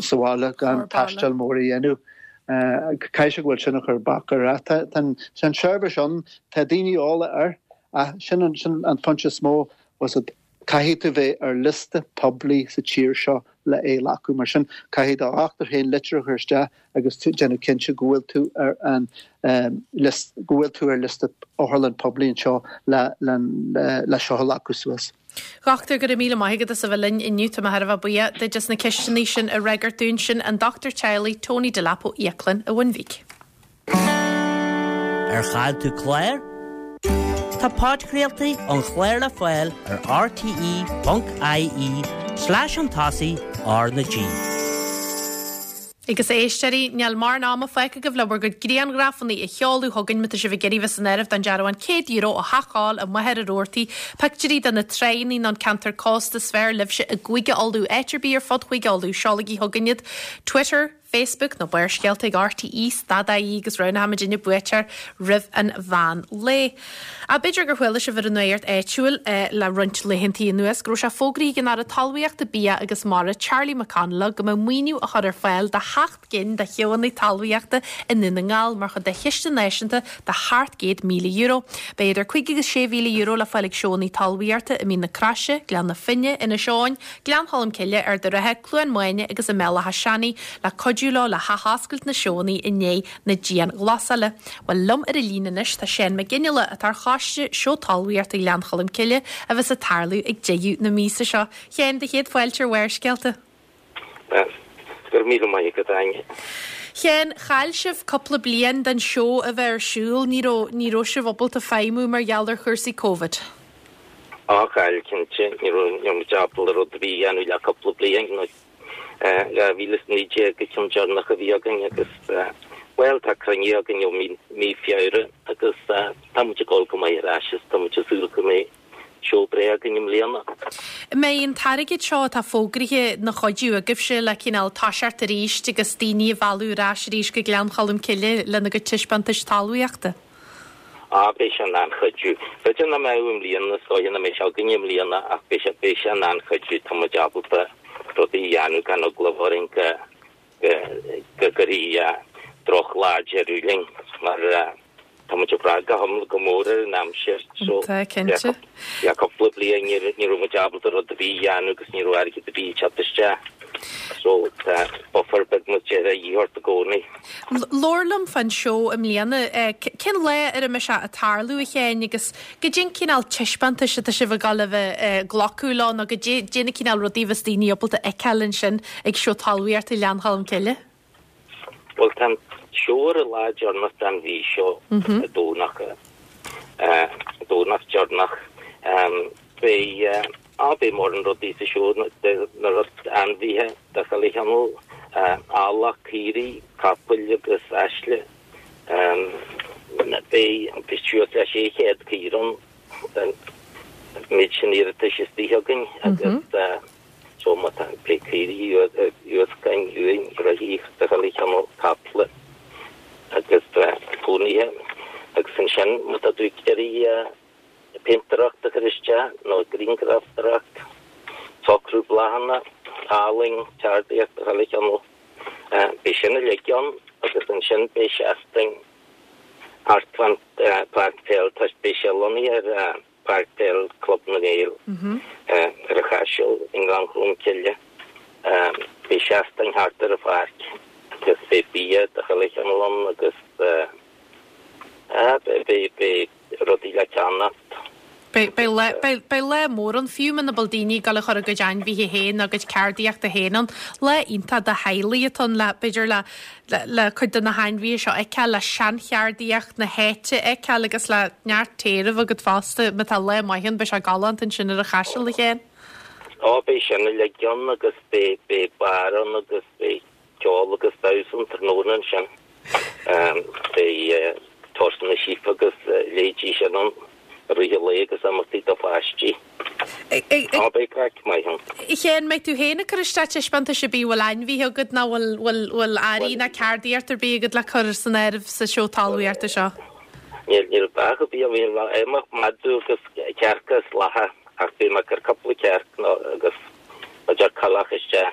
[SPEAKER 5] sa bhaile gan taisteal mór a dhéanamh. Caithfidh sé go bhfuil sin a chur bac air ach tá an seirbhís ann tá daoine eolach air ach sin an sin an pointe is mó was it caithfidh tú bheith ar liosta poiblí sa tír seo le é a ghlacadh mar sin caithfidh do dhochtúir féin litir a chur isteach agus tú déanamh cinnte go bhfuil tú ar an um, list, go bhfuil tú ar liosta otharlann poiblí anseo le, le, le, le seo a ghlacadh suas.
[SPEAKER 1] Dhochtúir, go raibh míle maith agat as a bheith linn inniu. Tá mé thar a bheith buíoch duit as na ceisteanna sin a fhreagairt dúinn. Sin an dochtúir teaghlaigh Tony Delap ó Íoclann an Bhun Bhig.
[SPEAKER 3] Ar chaill tú clár? Tá podchraoltaí an chláir le fáil ar rte.ie slash an tosaigh R na G.
[SPEAKER 1] Agus a éisteoirí, níl mórán ama fágtha agaibh le bhur gcuid grianghrafanna a sheoladh chugainn má tá sibh ag iarraidh bheith san áireamh don dearbhán céad euro ó Theach Óil i Machaire Rabhartaigh, pictiúirí de na tránna nó an ceantar cósta is fearr libhse i gCúige Uladh, áit ar bith ar fud Chúige Uladh, seolaigí chugainn iad. Twitter, Facebook nó Barrscéalta ag RTE stad ie agus roghnóimid an buaiteoir roimh an mheán lae. A b'fhéidir gur chuala sibh ar an nuacht áitiúil le roinnt laethanta anuas go raibh sé fógraithe ag an Aire Talmhaíochta, Bia agus Mara Charlie McConalogue go mbeadh maoiniú á chur ar fáil do sheacht gcinn de sheóanna talmhaíochta i nDún na nGall mar chuid de chiste náisiúnta de sheacht gcéad míle euro. Beidh idir cúig agus sé mhíle euro le fáil ag seóanna talmhaíochta i Mín na Croise, Gleann na Finne, Inis Eoghain, Gleann Cholm Cille, Ard an Rátha, Cluain Maine agus i mBéal Átha Seanaidh le cuidiú leo le hathoscailt na seóanna i ndiaidh na dianghlasála. Bhuel, liom ar an líne anois tá Seán Mac Fhionnghaile atá ar choiste Seó Talmhaíochta Ghleann Cholm Cille a bheas ag tarlú ag deireadh na míosa seo. Sheáin, do chéad fáilte ar Bharrscéalta.
[SPEAKER 6] Go raibh míle maith agat, Áine.
[SPEAKER 1] Sheáin, chaill sibh cúpla bliain den seó a bheith ar siúl, ní raibh, ní raibh sibh ábalta feidhmiú mar gheall ar chúrsaí Covid.
[SPEAKER 6] Á, chaill, cinnte. Ní raibh, ní raibh muid ábalta rud ar bith a dhéanamh le cúpla bliain, nó dhá mhíle is naoi déag an ceann deireanach a bhí againn agus, bhuel, tá cruinnithe againn ó mí, mí Feabhra agus tá muid ag dul go maith ar ais is tá muid ag súil go mbeidh seó breá againn i mbliana.
[SPEAKER 1] An mbeidh an t-airgead seo atá fógraithe ina chuidiú agaibhse le cineál toiseacht arís agus daoine a mhealladh ar ais arís go Gleann Cholm Cille lena gcuid taispeántais talmhaíochta?
[SPEAKER 6] Á, beidh sé in an-chuidiú. B'fhéidir nach mbeadh i mbliana, is dóiche nach mbeidh sé againn i mbliana ach beidh sé, beidh sé in an-chuidiú. Tá muid ábalta rudaí a dhéanamh gan eagla orainn go, go, go gcuirfidh drochlá deireadh linn mar tá muid ag brath go hiomlán go mór ar an aimsir so
[SPEAKER 1] Tá, cinnte.
[SPEAKER 6] le cúpla bliain ní ní raibh muid ábalta rud ar bith a dhéanamh agus ní raibh airgead ar bith ag teacht isteach so tá buffer beag muid de dhíth ort i gcónaí.
[SPEAKER 1] Labhair liom fán seó i mbliana. Cén lá ar a mbeidh sé ag tarlú a Sheáin agus goidé an cineál taispeántais atá sibh ag dul a bheith ag glacadh leo nó goidé na cineál rudaí a bheas daoine ábalta a fheiceáil ansin ag seó talmhaíochta Ghleann Cholm Cille?
[SPEAKER 6] Bhuel, tá an seó ar an lá deireanach den mhí seo, an Domhnach, Domhnach deireanach. Beidh, á, beidh mórán rudaí sa seó, na rud, ainmhithe de chuile chineál, eallach, caoirigh, capaill agus aisle. Beidh, beidh suas le sé chéad caora ann, an méid sin iarratais istigh againn agus, So má tá pé caoirigh uascain uain reithí de chuile chineál caiple agus pónaithe agus ansin má tá tú ag iarraidh péintéireacht a chur isteach nó grianghrafadóireacht, socrú bláthanna, ealaín, ceardaíocht de chuile chineál, beidh sin uilig ann agus ansin beidh seastán thart fán pháirc peile, beidh sé lonnaithe ar Páirc Peile Club na nGael ar an Chaiseal i nGleann Cholm Cille. Beidh seastán thart ar an pháirc agus beidh bia de chuile chineál ann agus beidh rudaí le ceannacht.
[SPEAKER 1] Beidh lá mór ann fiú muna bhfuil daoine ag dul a chur a gcuid ainmhithe féin nó a gcuid ceardaíochta féin ann. Lá iontach do theaghlaigh atá ann le, b'fhéidir le le cuid de na hainmhithe seo a fheiceáil, le seancheardaíocht na háite a fheiceáil agus le neart téirimh agat fosta. Má tá lá maith ann, beidh sé galánta ansin ar an Chaiseal, a Sheáin.
[SPEAKER 6] Ó, beidh sin uilig ann agus beidh, beidh beár ann agus beidh ceol agus damhsa an tráthnóna ansin. Beidh turasanna síob agus leithéidí sin ann i rith an lae agus imeachtaí do pháistí. Á, beidh craic maith ann.
[SPEAKER 1] A Sheáin, mbeidh tú féin ag cur isteach taispeántais ar bith, bhfuil ainmhithe agat nó bhfuil, bhfuil, bhfuil earraí ná ceardaíocht ar bith agat le cur san áireamh sa seó talmhaíochta seo?
[SPEAKER 6] Níl, níl beach ar bith agam, níl ach madadh agus cearca is lacha ach beidh mé ag cur cúpla cearc nó agus b'fhéidir coileach isteach.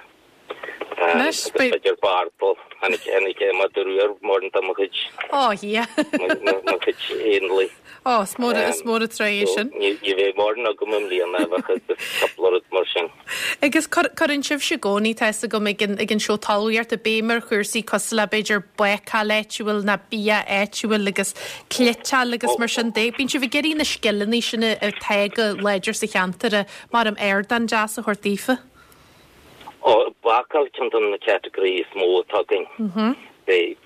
[SPEAKER 1] Anois,
[SPEAKER 6] Agus b'fhéidir bardal, tháinig tháinig madra rua ar mórán de mo chuid
[SPEAKER 1] Ó, yeah.
[SPEAKER 6] mo chuid éanlaith.
[SPEAKER 1] Ó, is mór is mór an trua é sin.
[SPEAKER 6] Ní ní bheidh mórán agam i mbliana ach agus cúpla rud mar sin.
[SPEAKER 1] Agus cuireann sibhse i gcónaí, tá fhios agam ag an ag an seó talmhaíochta béim ar chúrsaí cosúil le b'fhéidir bácáil áitiúil ná bia áitiúil agus cniotáil agus mar sin de. Bíonn sibh ag iarraidh na scileanna sin atá go láidir sa cheantar a mar am ardán deas a thabhairt daofa.
[SPEAKER 6] Ó, bácáil ceann de na category is mó atá againn. Beidh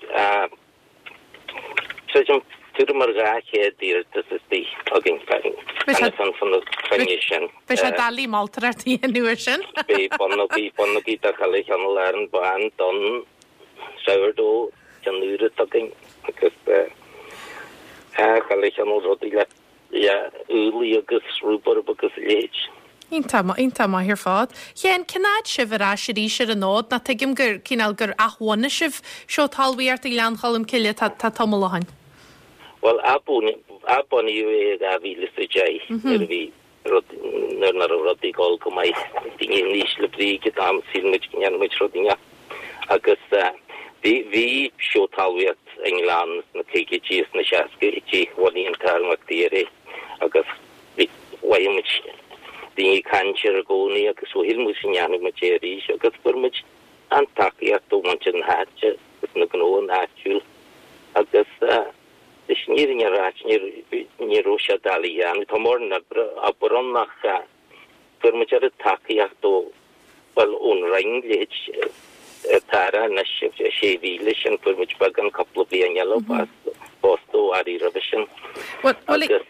[SPEAKER 6] creidim tuairim ar dhá chéad iarratas istigh againn
[SPEAKER 1] Beidh sé-
[SPEAKER 6] fan fan na cruinne sin.
[SPEAKER 1] Beidh sé doiligh moltóireacht a dhéanamh air sin.
[SPEAKER 6] Beidh bonnógaí bonnógaí de chuile chineál ann bán, donn, sourdough, ceann úr atá againn agus chuile chineál rudaí le le úllaí agus rhubarb agus a leithéid.
[SPEAKER 1] Iontach maith, iontach maith ar fad. Sheáin, cén fhad sibh ar ais arís ar an fhód? Ná tuigim gur cineál gur athbhunaigh sibh seó talmhaíochta Ghleann Cholm Cille tá tá tamall ó shin.
[SPEAKER 6] Bhuel, athbunaíodh é i dhá mhíle is a deich nuair a bhí rud nuair nach raibh rudaí ag dul go maith. Daoine in ísle brí ag an am, shíl muid go ndéanfaidh muid rud inteacht. Agus bhí bhí seó talmhaíocht i nGleann sna caogaidí is sna seascaidí, bhunaigh an tAthair Mac Tíre é agus bhí mhothaigh muid daoine ag caint air i gcónaí agus so shíl muid go ndéanfaidh muid é arís agus fuair muid an-tacaíocht ó mhuintir na háite agus na gnóanna áitiúil agus leis an fhírinne a ráit ní raibh sé doiligh a dhéanamh. Tá mórán oibre obair ann ach fuair muid oiread tacaíocht ó bhuel ón Roinn leithéid atá anois sé mhíle sin fuair muid beagán cúpla bliain eile fosta ó airí roimhe sin.
[SPEAKER 1] Agus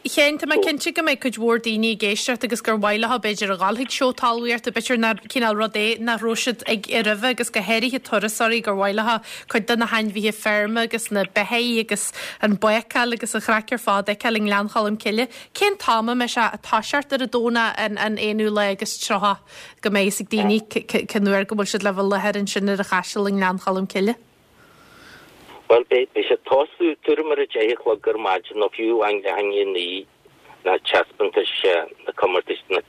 [SPEAKER 1] Sheáin, tá mé cinnte go mbeidh cuid mhór daoine ag éisteacht agus gur mhaith leo b'fhéidir a dhul chuig seó talmhaíochta, b'fhéidir nach cineál rud é nach raibh siad ag roimhe agus go háirithe turasóirí gur mhaith leo cuid de na hainmhithe feirme agus na beithígh agus an bácáil agus an chraic ar fad a fheiceáil i nGleann Cholm Cille. Cén t-am a mbeidh sé ag toiseacht ar an Domhnach an an aonú lá agus tríocha go mbeidh fhios ag daoine cén uair go bhfuil siad le bheith i láthair ansin ar an Chaiseal i nGleann Cholm Cille?
[SPEAKER 6] Bhuel, beidh sé ag tosú tuairim ar a deich a chlog ar maidin nó fiú amháin leath i ndiaidh a naoi, na taispeántais, na comórtais, na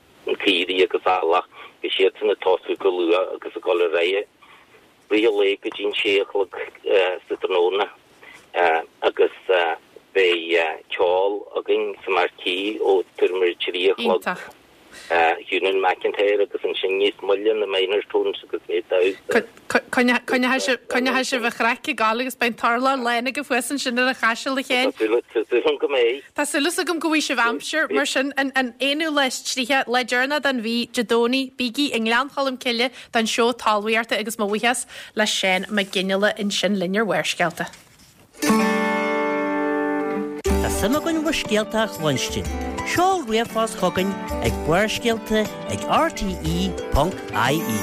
[SPEAKER 6] caoirigh agus eallach, beidh siadsan ag tosú go luath agus ag dul ar aghaidh rith an lae go dtí an sé a chlog sa tráthnóna agus beidh ceol againn sa Marquee ó tuairim ar a trí a chlog.
[SPEAKER 1] Iontach.
[SPEAKER 6] Eunan McIntyre agus ansin níos moille na Minor Tones agus beidh damhsa.
[SPEAKER 1] Coinneoidh sibh an chraic ag gabháil agus beidh an t-urlár lán agaibh thuas ansin ar an Chaiseal a Sheáin.
[SPEAKER 6] Tá súil agam go mbeidh.
[SPEAKER 1] Tá súil agam go bhfaighidh sibh aimsir mar sin an an aonú lá is tríocha, lá deireanach den mhí, Dé Domhnaigh, bígí i nGleann Cholm Cille don seó talmhaíochta agus mo bhuíochas le Seán Mac Fhionnghaile ansin linn ar Bharrscéalta.
[SPEAKER 3] Tá suim againn bhur scéalta a chluinstin. Seol ríomhphost chugainn ag barrscéalta ag R T E ponc I E.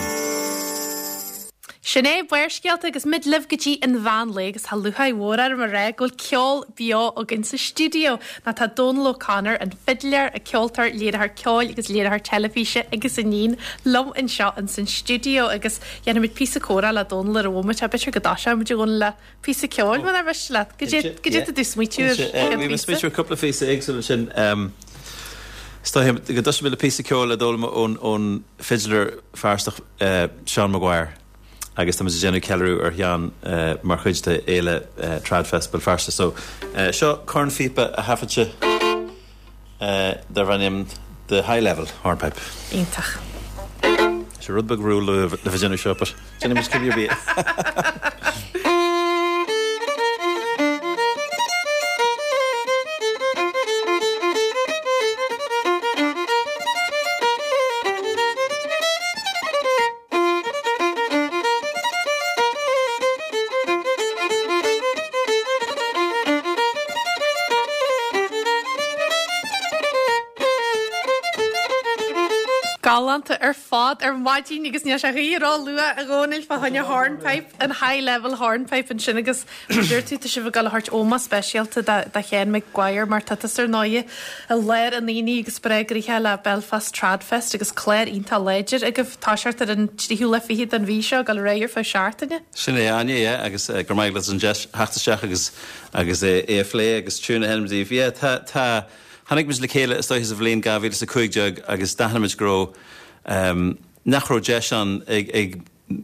[SPEAKER 1] Sin é Barrscéalta agus muid libh go dtí an mheán lae agus tá lúcháir mhór orm a rá go bhfuil ceol beo againn sa stiúideo. Ná tá Dónal O'Connor, an fidléir, an ceoltóir, léiritheoir ceoil agus léiritheoir teilifíse agus a iníon liom anseo in san stiúideo agus dhéanfaimid píosa comhrá le Dónal ar an bhomaite, b'fhéidir go dtoiseoimid a Dhónaill le píosa ceoil mar mhiste leat. Goidé goidé tá tú smaoitiú ar
[SPEAKER 7] Bhí mé smaoitiú ar cúpla phíosa éagsúil ansin. Is dóigh go dtoiseoidh mé le píosa ceoil a d'fhoghlaim ón ón fidléir Feirsteach Seán Maguire agus tá muid ag déanamh ceiliúradh ar Sheán mar chuid de fhéile Tradfest Béal Feirste. So seo cornphíopa a thaifead sé darb ainm The High Level Hornpipe.
[SPEAKER 1] Iontach.
[SPEAKER 7] Sé rud beag ró-luath le bheith ag déanamh seo, but déanfaidh muid cibé ar bith.
[SPEAKER 1] Galánta ar fad ar maidin agus níl sé choíche ró-luath a Dhónaill fá choinne hornpipe, an high level hornpipe ansin agus mar dúirt tú tá sibh ag dul a thabhairt ómós speisialta do Sheán Maguire mar tá tusa ar ndóigh i lár an aonaigh agus breá gnoitheach le Belfast Tradfest agus clár iontach láidir agaibh toiseacht ar an tríú lá fichead den mhí seo ag dul ar aghaidh ar feadh seachtaine.
[SPEAKER 7] Sin é Áine, yeah, agus go raibh maith agat as an deis theacht isteach agus agus é a phlé agus tune a sheinm daoibh. Yeah, tá tá tháinig muid le chéile is dóiche sa bhliain dhá mhíle is a cúig déag agus d'aithin muid go raibh um, nach raibh deis ann ag ag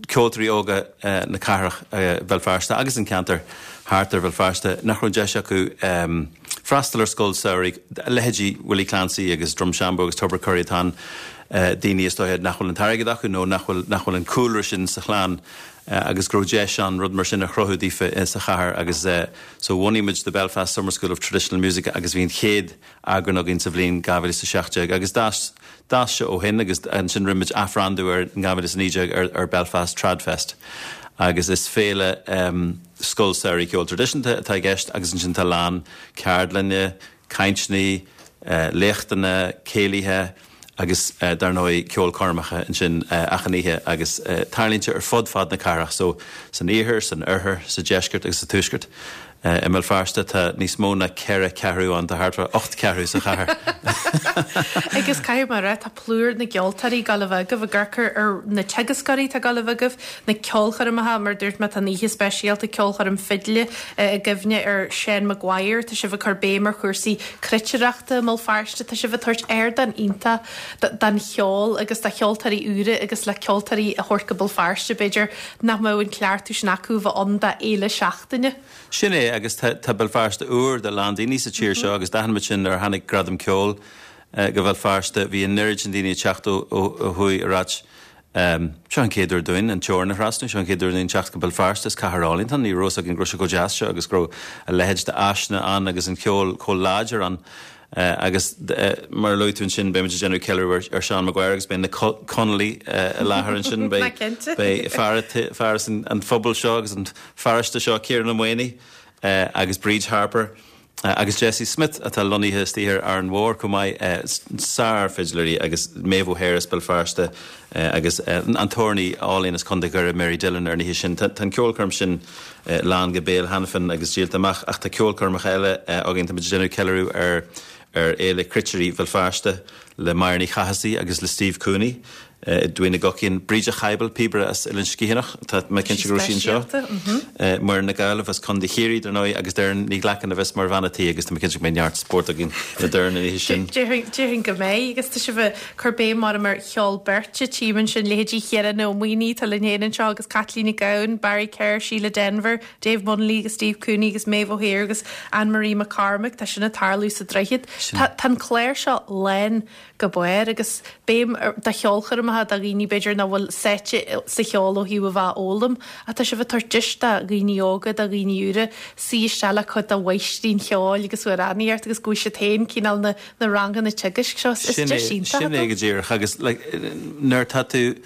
[SPEAKER 7] ceoltóirí óga na cathrach Bhéal Feirste agus an ceantar thart ar Bhéal Feirste, nach raibh deis acu freastal ar scoil samhraidh, leithéidí Willie Clancy agus Drumshanbo agus Tubbercurry atá ann, daoine is dóiche nach bhfuil an t-airgead acu nó nach bhfuil nach bhfuil an cúlra sin sa chlann agus go raibh deis ann rud mar sin a chruthú daofa sa chathair agus so bhunaigh muid the Belfast Summer School of Traditional Music agus bhí an chéad eagrán againn sa bhliain dhá mhíle is a seacht déag agus d'fhás d'fhás sé ó shin agus ansin rinne muid athbhrandú air in dhá mhíle is a naoi déag ar ar Belfast Tradfest agus is féile um, scoil samhraidh ceol traidisiúnta atá i gceist agus ansin tá lán ceardlainne, cainteanna, léachtanna, céilithe agus dar ndóigh ceolchoirmeacha ansin achan oíche agus tarlaíonn sé ar fud fad na cathrach so san iarthar, san oirthear, sa deisceart agus sa tuaisceart. I mBéal Feirste tá níos mó ná ceithre cheathrú ann, tá thart ar ocht cheathrú sa chathair.
[SPEAKER 1] Agus caithfidh mé a rá, tá plúr na gceoltóirí ag gabháil a bheith agaibh, ag amharc ar na teagascóirí atá ag gabháil a bheith agaibh, na ceolchoirmeacha, mar a dúirt mé, tá an oíche speisialta ceolchoirm fidle i gcuimhne ar Seán Maguire, tá sibh ag cur béim ar chúrsaí cruitireachta i mBéal Feirste, tá sibh ag tabhairt ardán iontach don cheol agus do cheoltóirí úra agus le ceoltóirí a thabhairt go Béal Feirste, b'fhéidir nach mbeadh an cleachtadh sin acu a bheith ann d'fhéile seachtaine.
[SPEAKER 7] Sin é, agus tá Béal Feirste úr do a lán daoine sa tír seo agus d'aithin muid sin nuair a tháinig Gradam Ceoil go Bhéal Feirste, bhí an oiread sin daoine ag teacht ó thuaidh ag ráit, Seo an chéad uair dúinn an teorainn a thrasnú, seo an chéad uair dúinn teacht go Béal Feirste, is cathair álainn atá ann, ní raibh a fhios againn go raibh sé chomh deas seo agus go raibh a leithéid d'áiseanna ann agus an ceol chomh láidir ann. Agus mar a luaigh tú ansin, beidh muid ag déanamh ceiliúradh ar Seán Maguire agus beidh na Conallaigh i láthair ansin. Beidh fear as an phobal seo agus an pharóiste seo, Ciarán Ó Maonaigh agus Bríd Harper agus Jesse Smith atá lonnaithe istigh ar Árainn Mhór chomh maith, sár-fhidléirí agus Maeve O'Hare as Béal Feirste agus an t-amhránaí álainn as Contae Dhoire, Mary Dillon ar an oíche sin. Tá an ceolchoirm sin lán go béal cheana féin agus díolta amach ach tá ceolchoirmeacha eile againn. Tá muid ag déanamh ceiliúradh ar ar Fhéile Cruitirí Bhéal Feirste le Máire Ní Chathasaigh agus le Steve Cooney i dTuí na gCoiceann, Bríd Chybil, píobaire as Oileán Sgitheanach, tá mé cinnte go raibh sí anseo, Muireann Nic Amhlaoibh as Contae Chiarraí, dar ndóigh, agus Doireann Ní Ghlacáin a bheas mar bhean a' tí agus tá mé cinnte go mbeidh neart spóirt againn le Doireann an oíche sin.
[SPEAKER 1] Déarfainn go mbeidh, agus tá sibh ag cur béim orm ar cheol beirte, tchím ansin leithéidí Chiarán Ó Maonaigh atá linn féin anseo agus Caitlín Nic Gabhann, Barry Kerr, Síle Denvir, Dave Munnelly agus Steve Cooney agus Maeve O'Hare agus Anne Marie McCormack, tá sin ag tarlú sa Droichead. Tá an clár seo lán go barr agus béim do cheolchoirmeacha do dhaoine b'fhéidir nach bhfuil sáite sa cheol ó thaobh a bheith á fhoghlaim ach tá sibh ag tabhairt deis do dhaoine óga, do dhaoine úra suí isteach le cuid de mháistrí an cheoil agus amhránaíocht agus go bhfaighidh siad féin cineál na na ranganna teagaisc seo. Is deis iontach
[SPEAKER 7] Sin é go díreach agus like nuair atá tú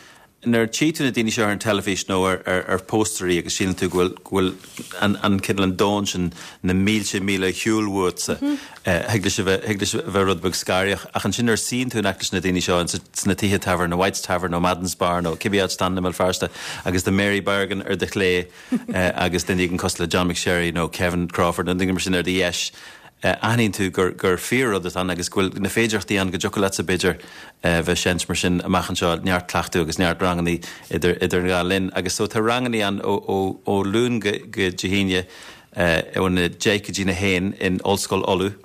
[SPEAKER 7] Nuair a tchí tú na daoine seo ar an teilifís nó ar phóstaerí agus síleann tú go bhfuil go bhfuil an an cineál an domhan sin na mílte míle ar shiúl uatsa, thig leis a bheith thig leis a bheith rud beag scanraitheach. Ach ansin nuair a suíonn tú in aice leis na daoine seo ins sna tithe tábhairne, White's Tavern nó Madden's Bar nó cibé áit atá ann i mBéal Feirste agus tá Mary Bergin ar do chlé agus duine éigin cosúil le John McSherry nó Kevin Crawford nó duine mar sin ar do dheis, aithníonn tú gur gur fíor-rud atá ann agus go bhfuil na féidearthachtaí ann go dtiocfadh leatsa, b'fhéidir, bheith ag seinnt mar sin amach anseo, neart cleachtadh agus neart rangannaí idir idir an dhá linn. Agus so tá rangannaí ann ó ó ó Luan go go Dé hAoine óna deich go dtí na haon in Ollscoil Uladh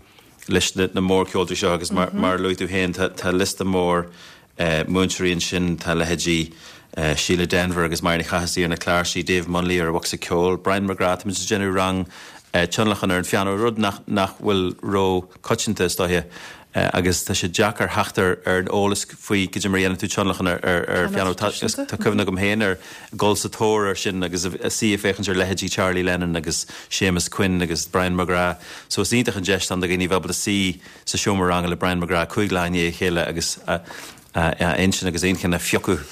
[SPEAKER 7] leis na na mórcheoltóirí seo agus mar mar a luaigh tú féin tá tá liosta mór múinteoirí ansin, tá leithéidí Síle Denvir agus Máire Ní Chathasaigh ar na cláirsí, Dave Munnelly ar an bhocsa ceoil, Brian McGrath, tá muid ag déanamh rang tionlacan ar an phianó, rud nach nach bhfuil ró-choitianta is dóiche agus tá sé deacair theacht ar ar an eolas faoi goidé mar a dhéanann tú tionlacan ar ar ar phianó. Tá tá cuimhne agam féin ar dhul sa tóir air sin agus a suí ag féachaint ar leithéidí Charlie Lennon agus Séamus Quinn agus Brian McGrath so is iontach an deis atá ann do dhaoine a bheith ábalta suí sa seomra ranga le Brian McGrath cúig lá i ndiaidh a chéile agus a a intinn agus a inchinn a phiocadh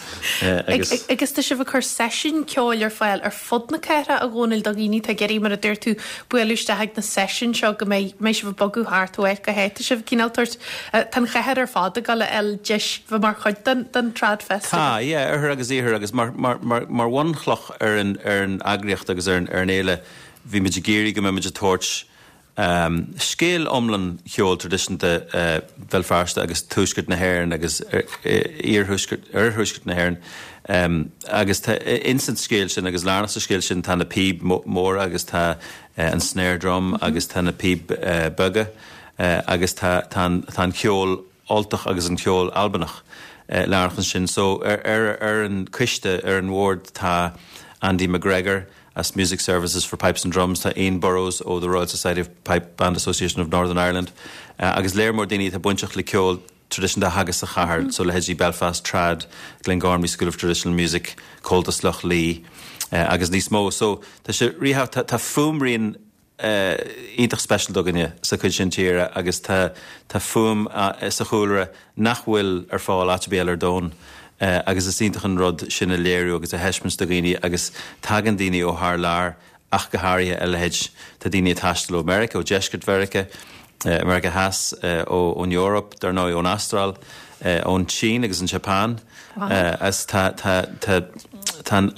[SPEAKER 7] agus.
[SPEAKER 1] Agus tá sibh ag cur seisiún ceoil ar fáil ar fud na cathrach, a Dhónaill, do dhaoine atá ag iarraidh, mar a dúirt tú, bualadh isteach ag na seisiúin seo go mbeidh mbeidh sibh ag bogadh thart ó áit go háit. Tá sibh cineál tabhairt, tá an chathair ar fad ag dul a fháil deis bheith mar chuid den den Tradfest.
[SPEAKER 7] Tá, yeah, oirthear agus iarthar agus mar mar mar mar bhunchloch ar an ar an eagraíocht agus ar an ar an fhéile bhí muid ag iarraidh go mbeidh muid ag tabhairt Scéal iomlán cheol traidisiúnta Bhéal Feirste agus tuaisceart na hÉireann agus iarthuaisceart, oirthuaisceart na hÉireann. Agus tá ins an scéal sin agus lárnach sa scéal sin tá na píb móra agus tá an snare drum agus tá na píb beaga agus tá tá an tá an ceol Ultach agus an ceol Albanach. lárnach ansin. So ar ar ar an coiste ar an bhord tá Andy McGregor as Music Services for Pipes and Drums, tá Ian Burrows ó the Royal Society of Pipe Band Association of Northern Ireland, uh, agus léir mór daoine atá bainteach le ceol traidisiúnta a theagasc sa chathair, mm -hmm. so leithéidí Belfast Trad, Glengormley School of Traditional Music, Comhaltas Loch Lao, uh, agus níos mó. So tá sé rithe tá, tá fuaimrian uh, iontach speisialta againne sa chuid sin tíre agus tá tá fuaim uh, sa chúlra nach bhfuil ar fáil áit ar bith ar domhan. Uh, agus is iontach an rud sin a léiriú agus a thaispeáint do dhaoine agus tagann daoine ó thar lear ach go háirithe a leithéid tá daoine ag taisteal ó America ó deisceart Mheiriceá, uh, America Theas uh, ó ón Eoraip dar ndóigh ón Astráil, uh, ón tSín agus an Japan
[SPEAKER 1] Wow.
[SPEAKER 7] uh, as tá tá tá tá an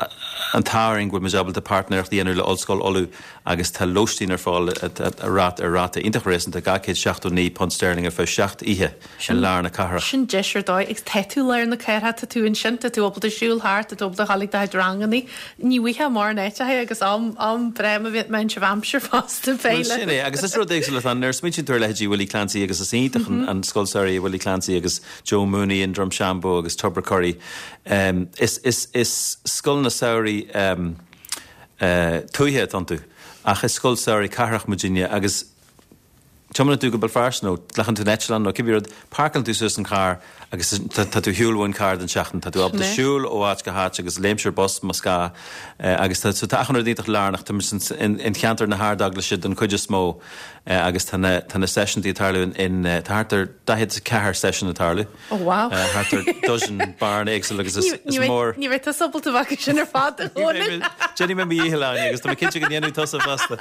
[SPEAKER 7] an t-ádh go bhfuil muid ábalta páirtnéireacht a dhéanamh le Ollscoil Uladh agus tá lóistín ar fáil a rát ar ráta iontach réasúnta dhá chéad seachtó naoi punt sterling ar feadh seacht oíche i lár na cathrach.
[SPEAKER 1] Sin deis ar dóigh agus tá tú lár na cathrach tá tú ansin tá tú ábalta siúl thart tá tú ábalta a ghabháil do ranganna ní bhíonn mar néite agus am am breá a bhí mein seh aimsir fosta
[SPEAKER 7] Well,
[SPEAKER 1] féile.
[SPEAKER 7] sin é, agus is rud éagsúil an ar smaoiníonn tú ar leithéidí Willie Clancy agus is iontach an an scoil samhraidh Willie Clancy agus Joe Mooney in Drumshanbo agus Tubbercurry. Um, is, is, is scoileanna samhraidh um, uh, tuaithe iontu ach is scoil samhraidh cathrach muidinne agus Tiomáineann tú go Béal Feirste nó glacann tú eitleán nó cibé rud páirceálann tú suas an carr agus tá tá tú shiúl ón carr den seachtain tá tú ábalta
[SPEAKER 1] Sin é.
[SPEAKER 7] siúl ó áit go háit agus léimsear bus más gá eh, agus tá so tá achan rud iontach lárnach tá muid in in cheantar na hArdeaglaise den chuid is mó eh, agus tá na tá na sessiontaí ag tarlú in in eh, tá thart ar daichead ceathair session ag tarlú.
[SPEAKER 1] Oh wow.
[SPEAKER 7] Eh, thart ar dozen barn éagsúil agus is, is mór
[SPEAKER 1] Ní bheidh tusa ábalta bheith sin ar fad a Dhónaill.
[SPEAKER 7] Jenny me dhíheláine agus tá cinnte go ndéanfaidh tusa fosta.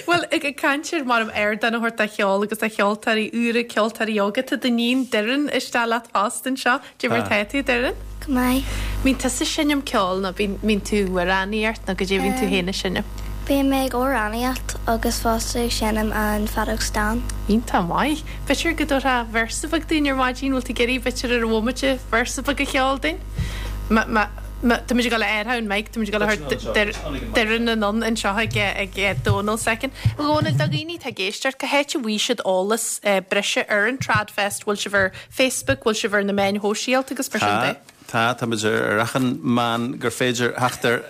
[SPEAKER 1] Well ag ag caint ar mar am ardán a thabhairt do cheol agus a cheoltóirí úra ceoltóirí óga tá d'iníon Doireann istigh leat fosta anseo Cad é mar tá tú Doireann?
[SPEAKER 8] Go maith.
[SPEAKER 1] Mbíonn tusa ag seinm ceol nó bíonn tú amhránaíocht nó go dté bhíonn tú féin ag seinm.
[SPEAKER 8] Bíonn mé ag amhránaíocht agus fosta ag seinm an feadóg stáin.
[SPEAKER 1] Iontach maith. B'fhéidir go dtabharfá véarsa beag dúinn ar maidin bhfuil tú ag iarraidh b'fhéidir ar bhomaite véarsa beag a cheol dúinn? Ma ma ma tá muid ag dul ar an mic, tá muid ag dul Doireann anonn anseo ag ag Dónal second. Dhónal do dhaoine atá ag éisteacht cá háit a bhfaighidh siad eolas breise ar an Tradfest, bhfuil sibh ar Facebook, bhfuil sibh ar na meáin shóisialta agus mar sin de.
[SPEAKER 7] Tá tá muid ar achan meán gur féidir theacht air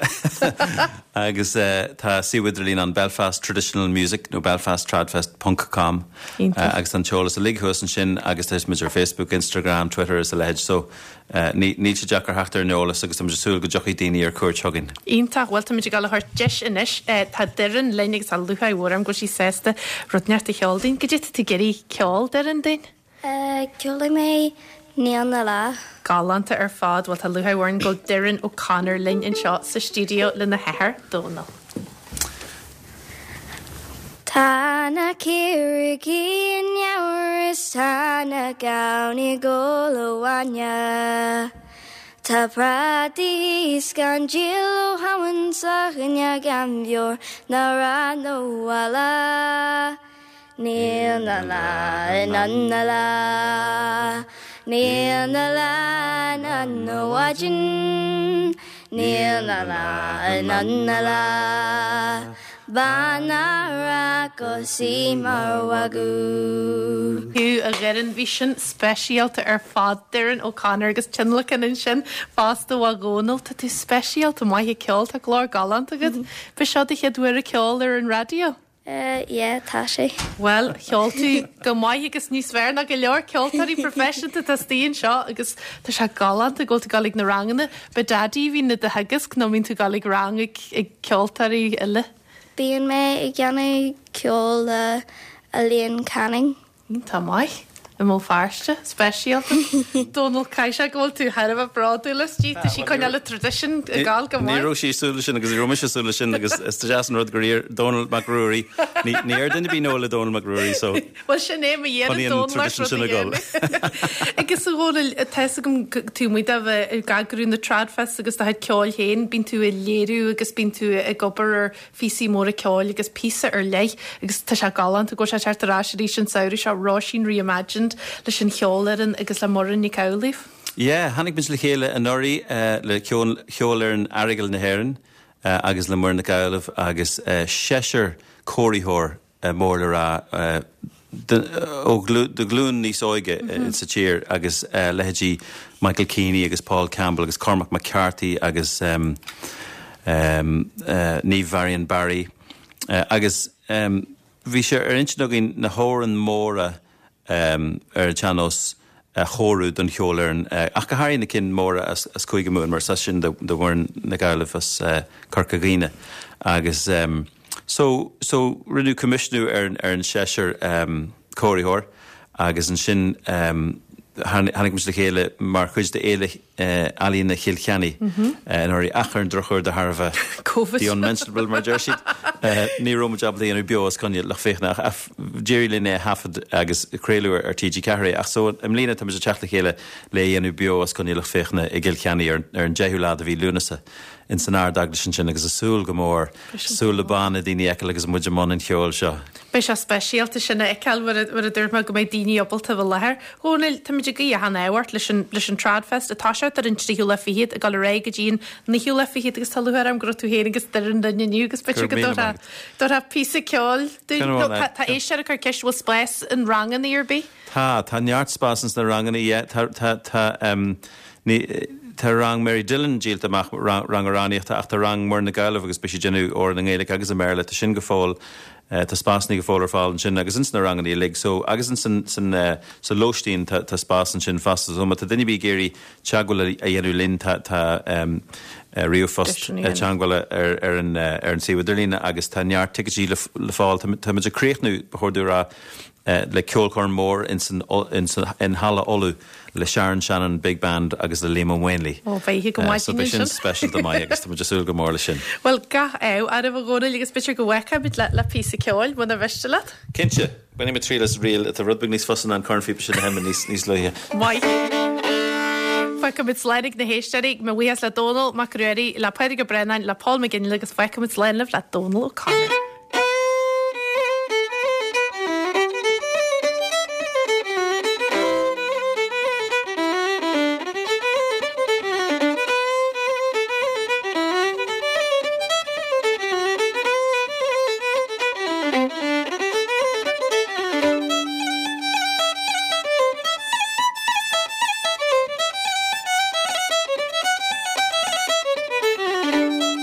[SPEAKER 7] agus uh, tá suíomh idirlín an Belfast Traditional Music nó belfasttradfest.com
[SPEAKER 1] Iontach.
[SPEAKER 7] uh, agus an t-eolas uilig thuas ansin agus tá muid ar Facebook, Instagram, Twitter is a leithéid so uh, ní ní sé deacair theacht ar an eolas agus tá súil go dtiocfaidh daoine ar cuairt chugainn.
[SPEAKER 1] Iontach bhfuil tá muid ag dul a thabhairt deis anois tá Doireann linn agus tá lúcháir mhór orm go bhfuil sí sásta rud inteacht a cheol dúinn, Cad é tá tú ag iarraidh ceol Doireann dúinn?
[SPEAKER 8] Ceolfaidh mé Níl 'na Lá.
[SPEAKER 1] Galánta ar fad bhfuil tá lúcháir mhór orainn go bhfuil Doireann O'Connor linn anseo sa stiúideo lena hathair Dónal.
[SPEAKER 8] Tá na caoirigh i ngeamhar is tá na gamhna ag ól a bhainne. Tá prátaí gan díol ó Shamhain sa choinne gan bheoir ná rath ná bhaile. Níl 'na lá in ann na lá, Níl 'na lá in ann na mhaidin, Níl 'na lá in ann na lá, Bean ná raibh sí mar mhagadh.
[SPEAKER 1] Thú a Dhoireann bhí sin speisialta ar fad Doireann O'Connor agus tionlacan ansin fosta ó Dhónal tá tú speisialta maith ag ceol tá glór galánta agat. Ba seo do chéad uair ag ceol ar an raidió.
[SPEAKER 8] Uh, yeah, tá sé.
[SPEAKER 1] Well, cheol tú go maith agus níos fearr ná go leor ceoltóirí proifisiúnta atá istigh anseo agus tá sé galánta go bhfuil tú ag dul ag na ranganna, Ba daidí a bhíonn do theagasc nó mbíonn tú ag dul ag rang ag ag ceoltóirí eile.
[SPEAKER 8] Bíonn mé ag déanamh ceol le Elaine Canning.
[SPEAKER 1] Tá maith i mBéal Feirste speisialta. Dónal Caiise go bhfuil tú thar a bheith bródúil aisti tá sí coinneáil le traidisiún ag gabháil go
[SPEAKER 7] Ní
[SPEAKER 1] maith.
[SPEAKER 7] raibh sí ag súil leis sin agus ní raibh mise ag súil leis sin agus is deas an rud gur iarr Dónal Mac Ruairí ní ní ar duine bí nó le Dónal Mac Ruairí so
[SPEAKER 1] Well sin é ma dhéanamh
[SPEAKER 7] Chun an
[SPEAKER 1] Dónal
[SPEAKER 7] tradition sin a ghabháil.
[SPEAKER 1] Agus a Dhónaill tá a fhios agam tú muid a bheith ag eagrú na Tradfest agus do chuid ceoil féin, bíonn tú ag léiriú agus bíonn tú ag obair ar phíosaí móra ceoil agus píosa ar leith agus tá sé galánta go sé teacht ar ais arís an samhradh seo Róisín Reimagined leis an cheolfhoireann agus le Muireann Nic Amhlaoibh.
[SPEAKER 7] Yeah, tháinig muid le chéile anuraidh uh, le ceol cheolfhoireann Aireagal na hÉireann uh, agus le Muireann Nic Amhlaoibh agus uh, seisear cóiritheoir uh, mór le rá uh, ó do ghlúin níos óige sa tír agus leithéidí Michael Keaney agus Paul Campbell agus Cormac McCarthy agus um, um, uh, Niamh Varian Barry uh, agus um, bhí sé ar intinn againn na hamhráin mhóra um, ar an tsean-nós a chóiriú don cheolfhoireann uh, ach go háirithe na cinn móra as, as Cúige Mumhan mar sa sin de bhhain na Gaillimh as uh, Corca Dhuibhne agus um, so so rinneadh coimisiúnú ar ar an seisear um, cóiritheoir agus ansin um, tháinig muid le chéile mar chuid de Fhéile uh, Ealaíona Chill Chainnigh mm -hmm. uh, anuraidh ach ar an drochuair de thairbhe
[SPEAKER 1] COVID.
[SPEAKER 7] The unmentionable mar deir siad. Uh, ní raibh muid ábalta déanamh beo os coinne lucht féachana ach d'éirigh linn é thaifead agus craoladh ar TG Ceathair ach so i mbliana tá muid ag teacht le chéile le dhéanamh beo os coinne lucht féachana i gCill Chainnigh ar, ar an deichiú lá de mhí Lúnasa in san Ardeaglais ansin agus ag súil go mór súil le banna daoine eile agus muid i mbun an cheoil seo.
[SPEAKER 1] Beidh sé speisialta sin a fheiceáil mar a dúirt mé go mbeidh daoine ábalta bheith i láthair. Dhónaill táimid ag guí achan ádh ort leis an leis an Tradfest atá sé ar an tríú lá fichead ag dul ar aghaidh go dtí an naoú lá fichead agus tá lúcháir orm go raibh tú féin agus Doireann linn inniu agus b'fhéidir go dtabharfá píosa ceoil dúinn. Tá éisteoir ag cur ceist bhfuil spás in ranganna ar bith?
[SPEAKER 7] Tá tá neart spás ins na ranganna tá tá tá um, ní Tá rang Mary Dillon díolta amach rang amhránaíochta ach tá rang Muireann Nic Amhlaoibh agus beidh sí ag déanamh amhrán i nGaeilge agus i mBéarla tá sin go fóill uh, tá spásanna go fóill ar fáil ansin agus ins na ranganna uilig so agus in san san uh, sa lóistín tá tá spás ansin fosta so má tá duine ar bith ag iarraidh teagmháil a dhéanamh linn tá tá um, uh, ríomhphost teagmháil ar ar an uh, ar an suíomh idirlín agus tá neart ticéidí le, le fáil tá muid ag críochnú ba chóir domh a rá uh, le ceolchoirm mór in san in san in Halla Uladh le Sharon Shannon Big Band agus le Liam Ó Maonlaí.
[SPEAKER 1] Ó bheidh go maith
[SPEAKER 7] so beidh sin speisialta maith agus tá muid ag súil go mór leis sin.
[SPEAKER 1] Well gach ádh oraibh a Dhónaill agus b'fhéidir go bhfeicfimid le le píosa ceoil muna mhiste leat?
[SPEAKER 7] Cinnte, bainfidh mé triail as ríl atá rud beag níos fusa ná an cornphíopa sin a sheinm níos níos luaithe.
[SPEAKER 1] Maith. Fágfaimid slán ag na héisteoirí, mo bhuíochas le Dónall Mac Ruairí, le Pádraig Ó Braonáin, le Paul McGinley agus fágfaimid slán libh le Dónal O'Connor.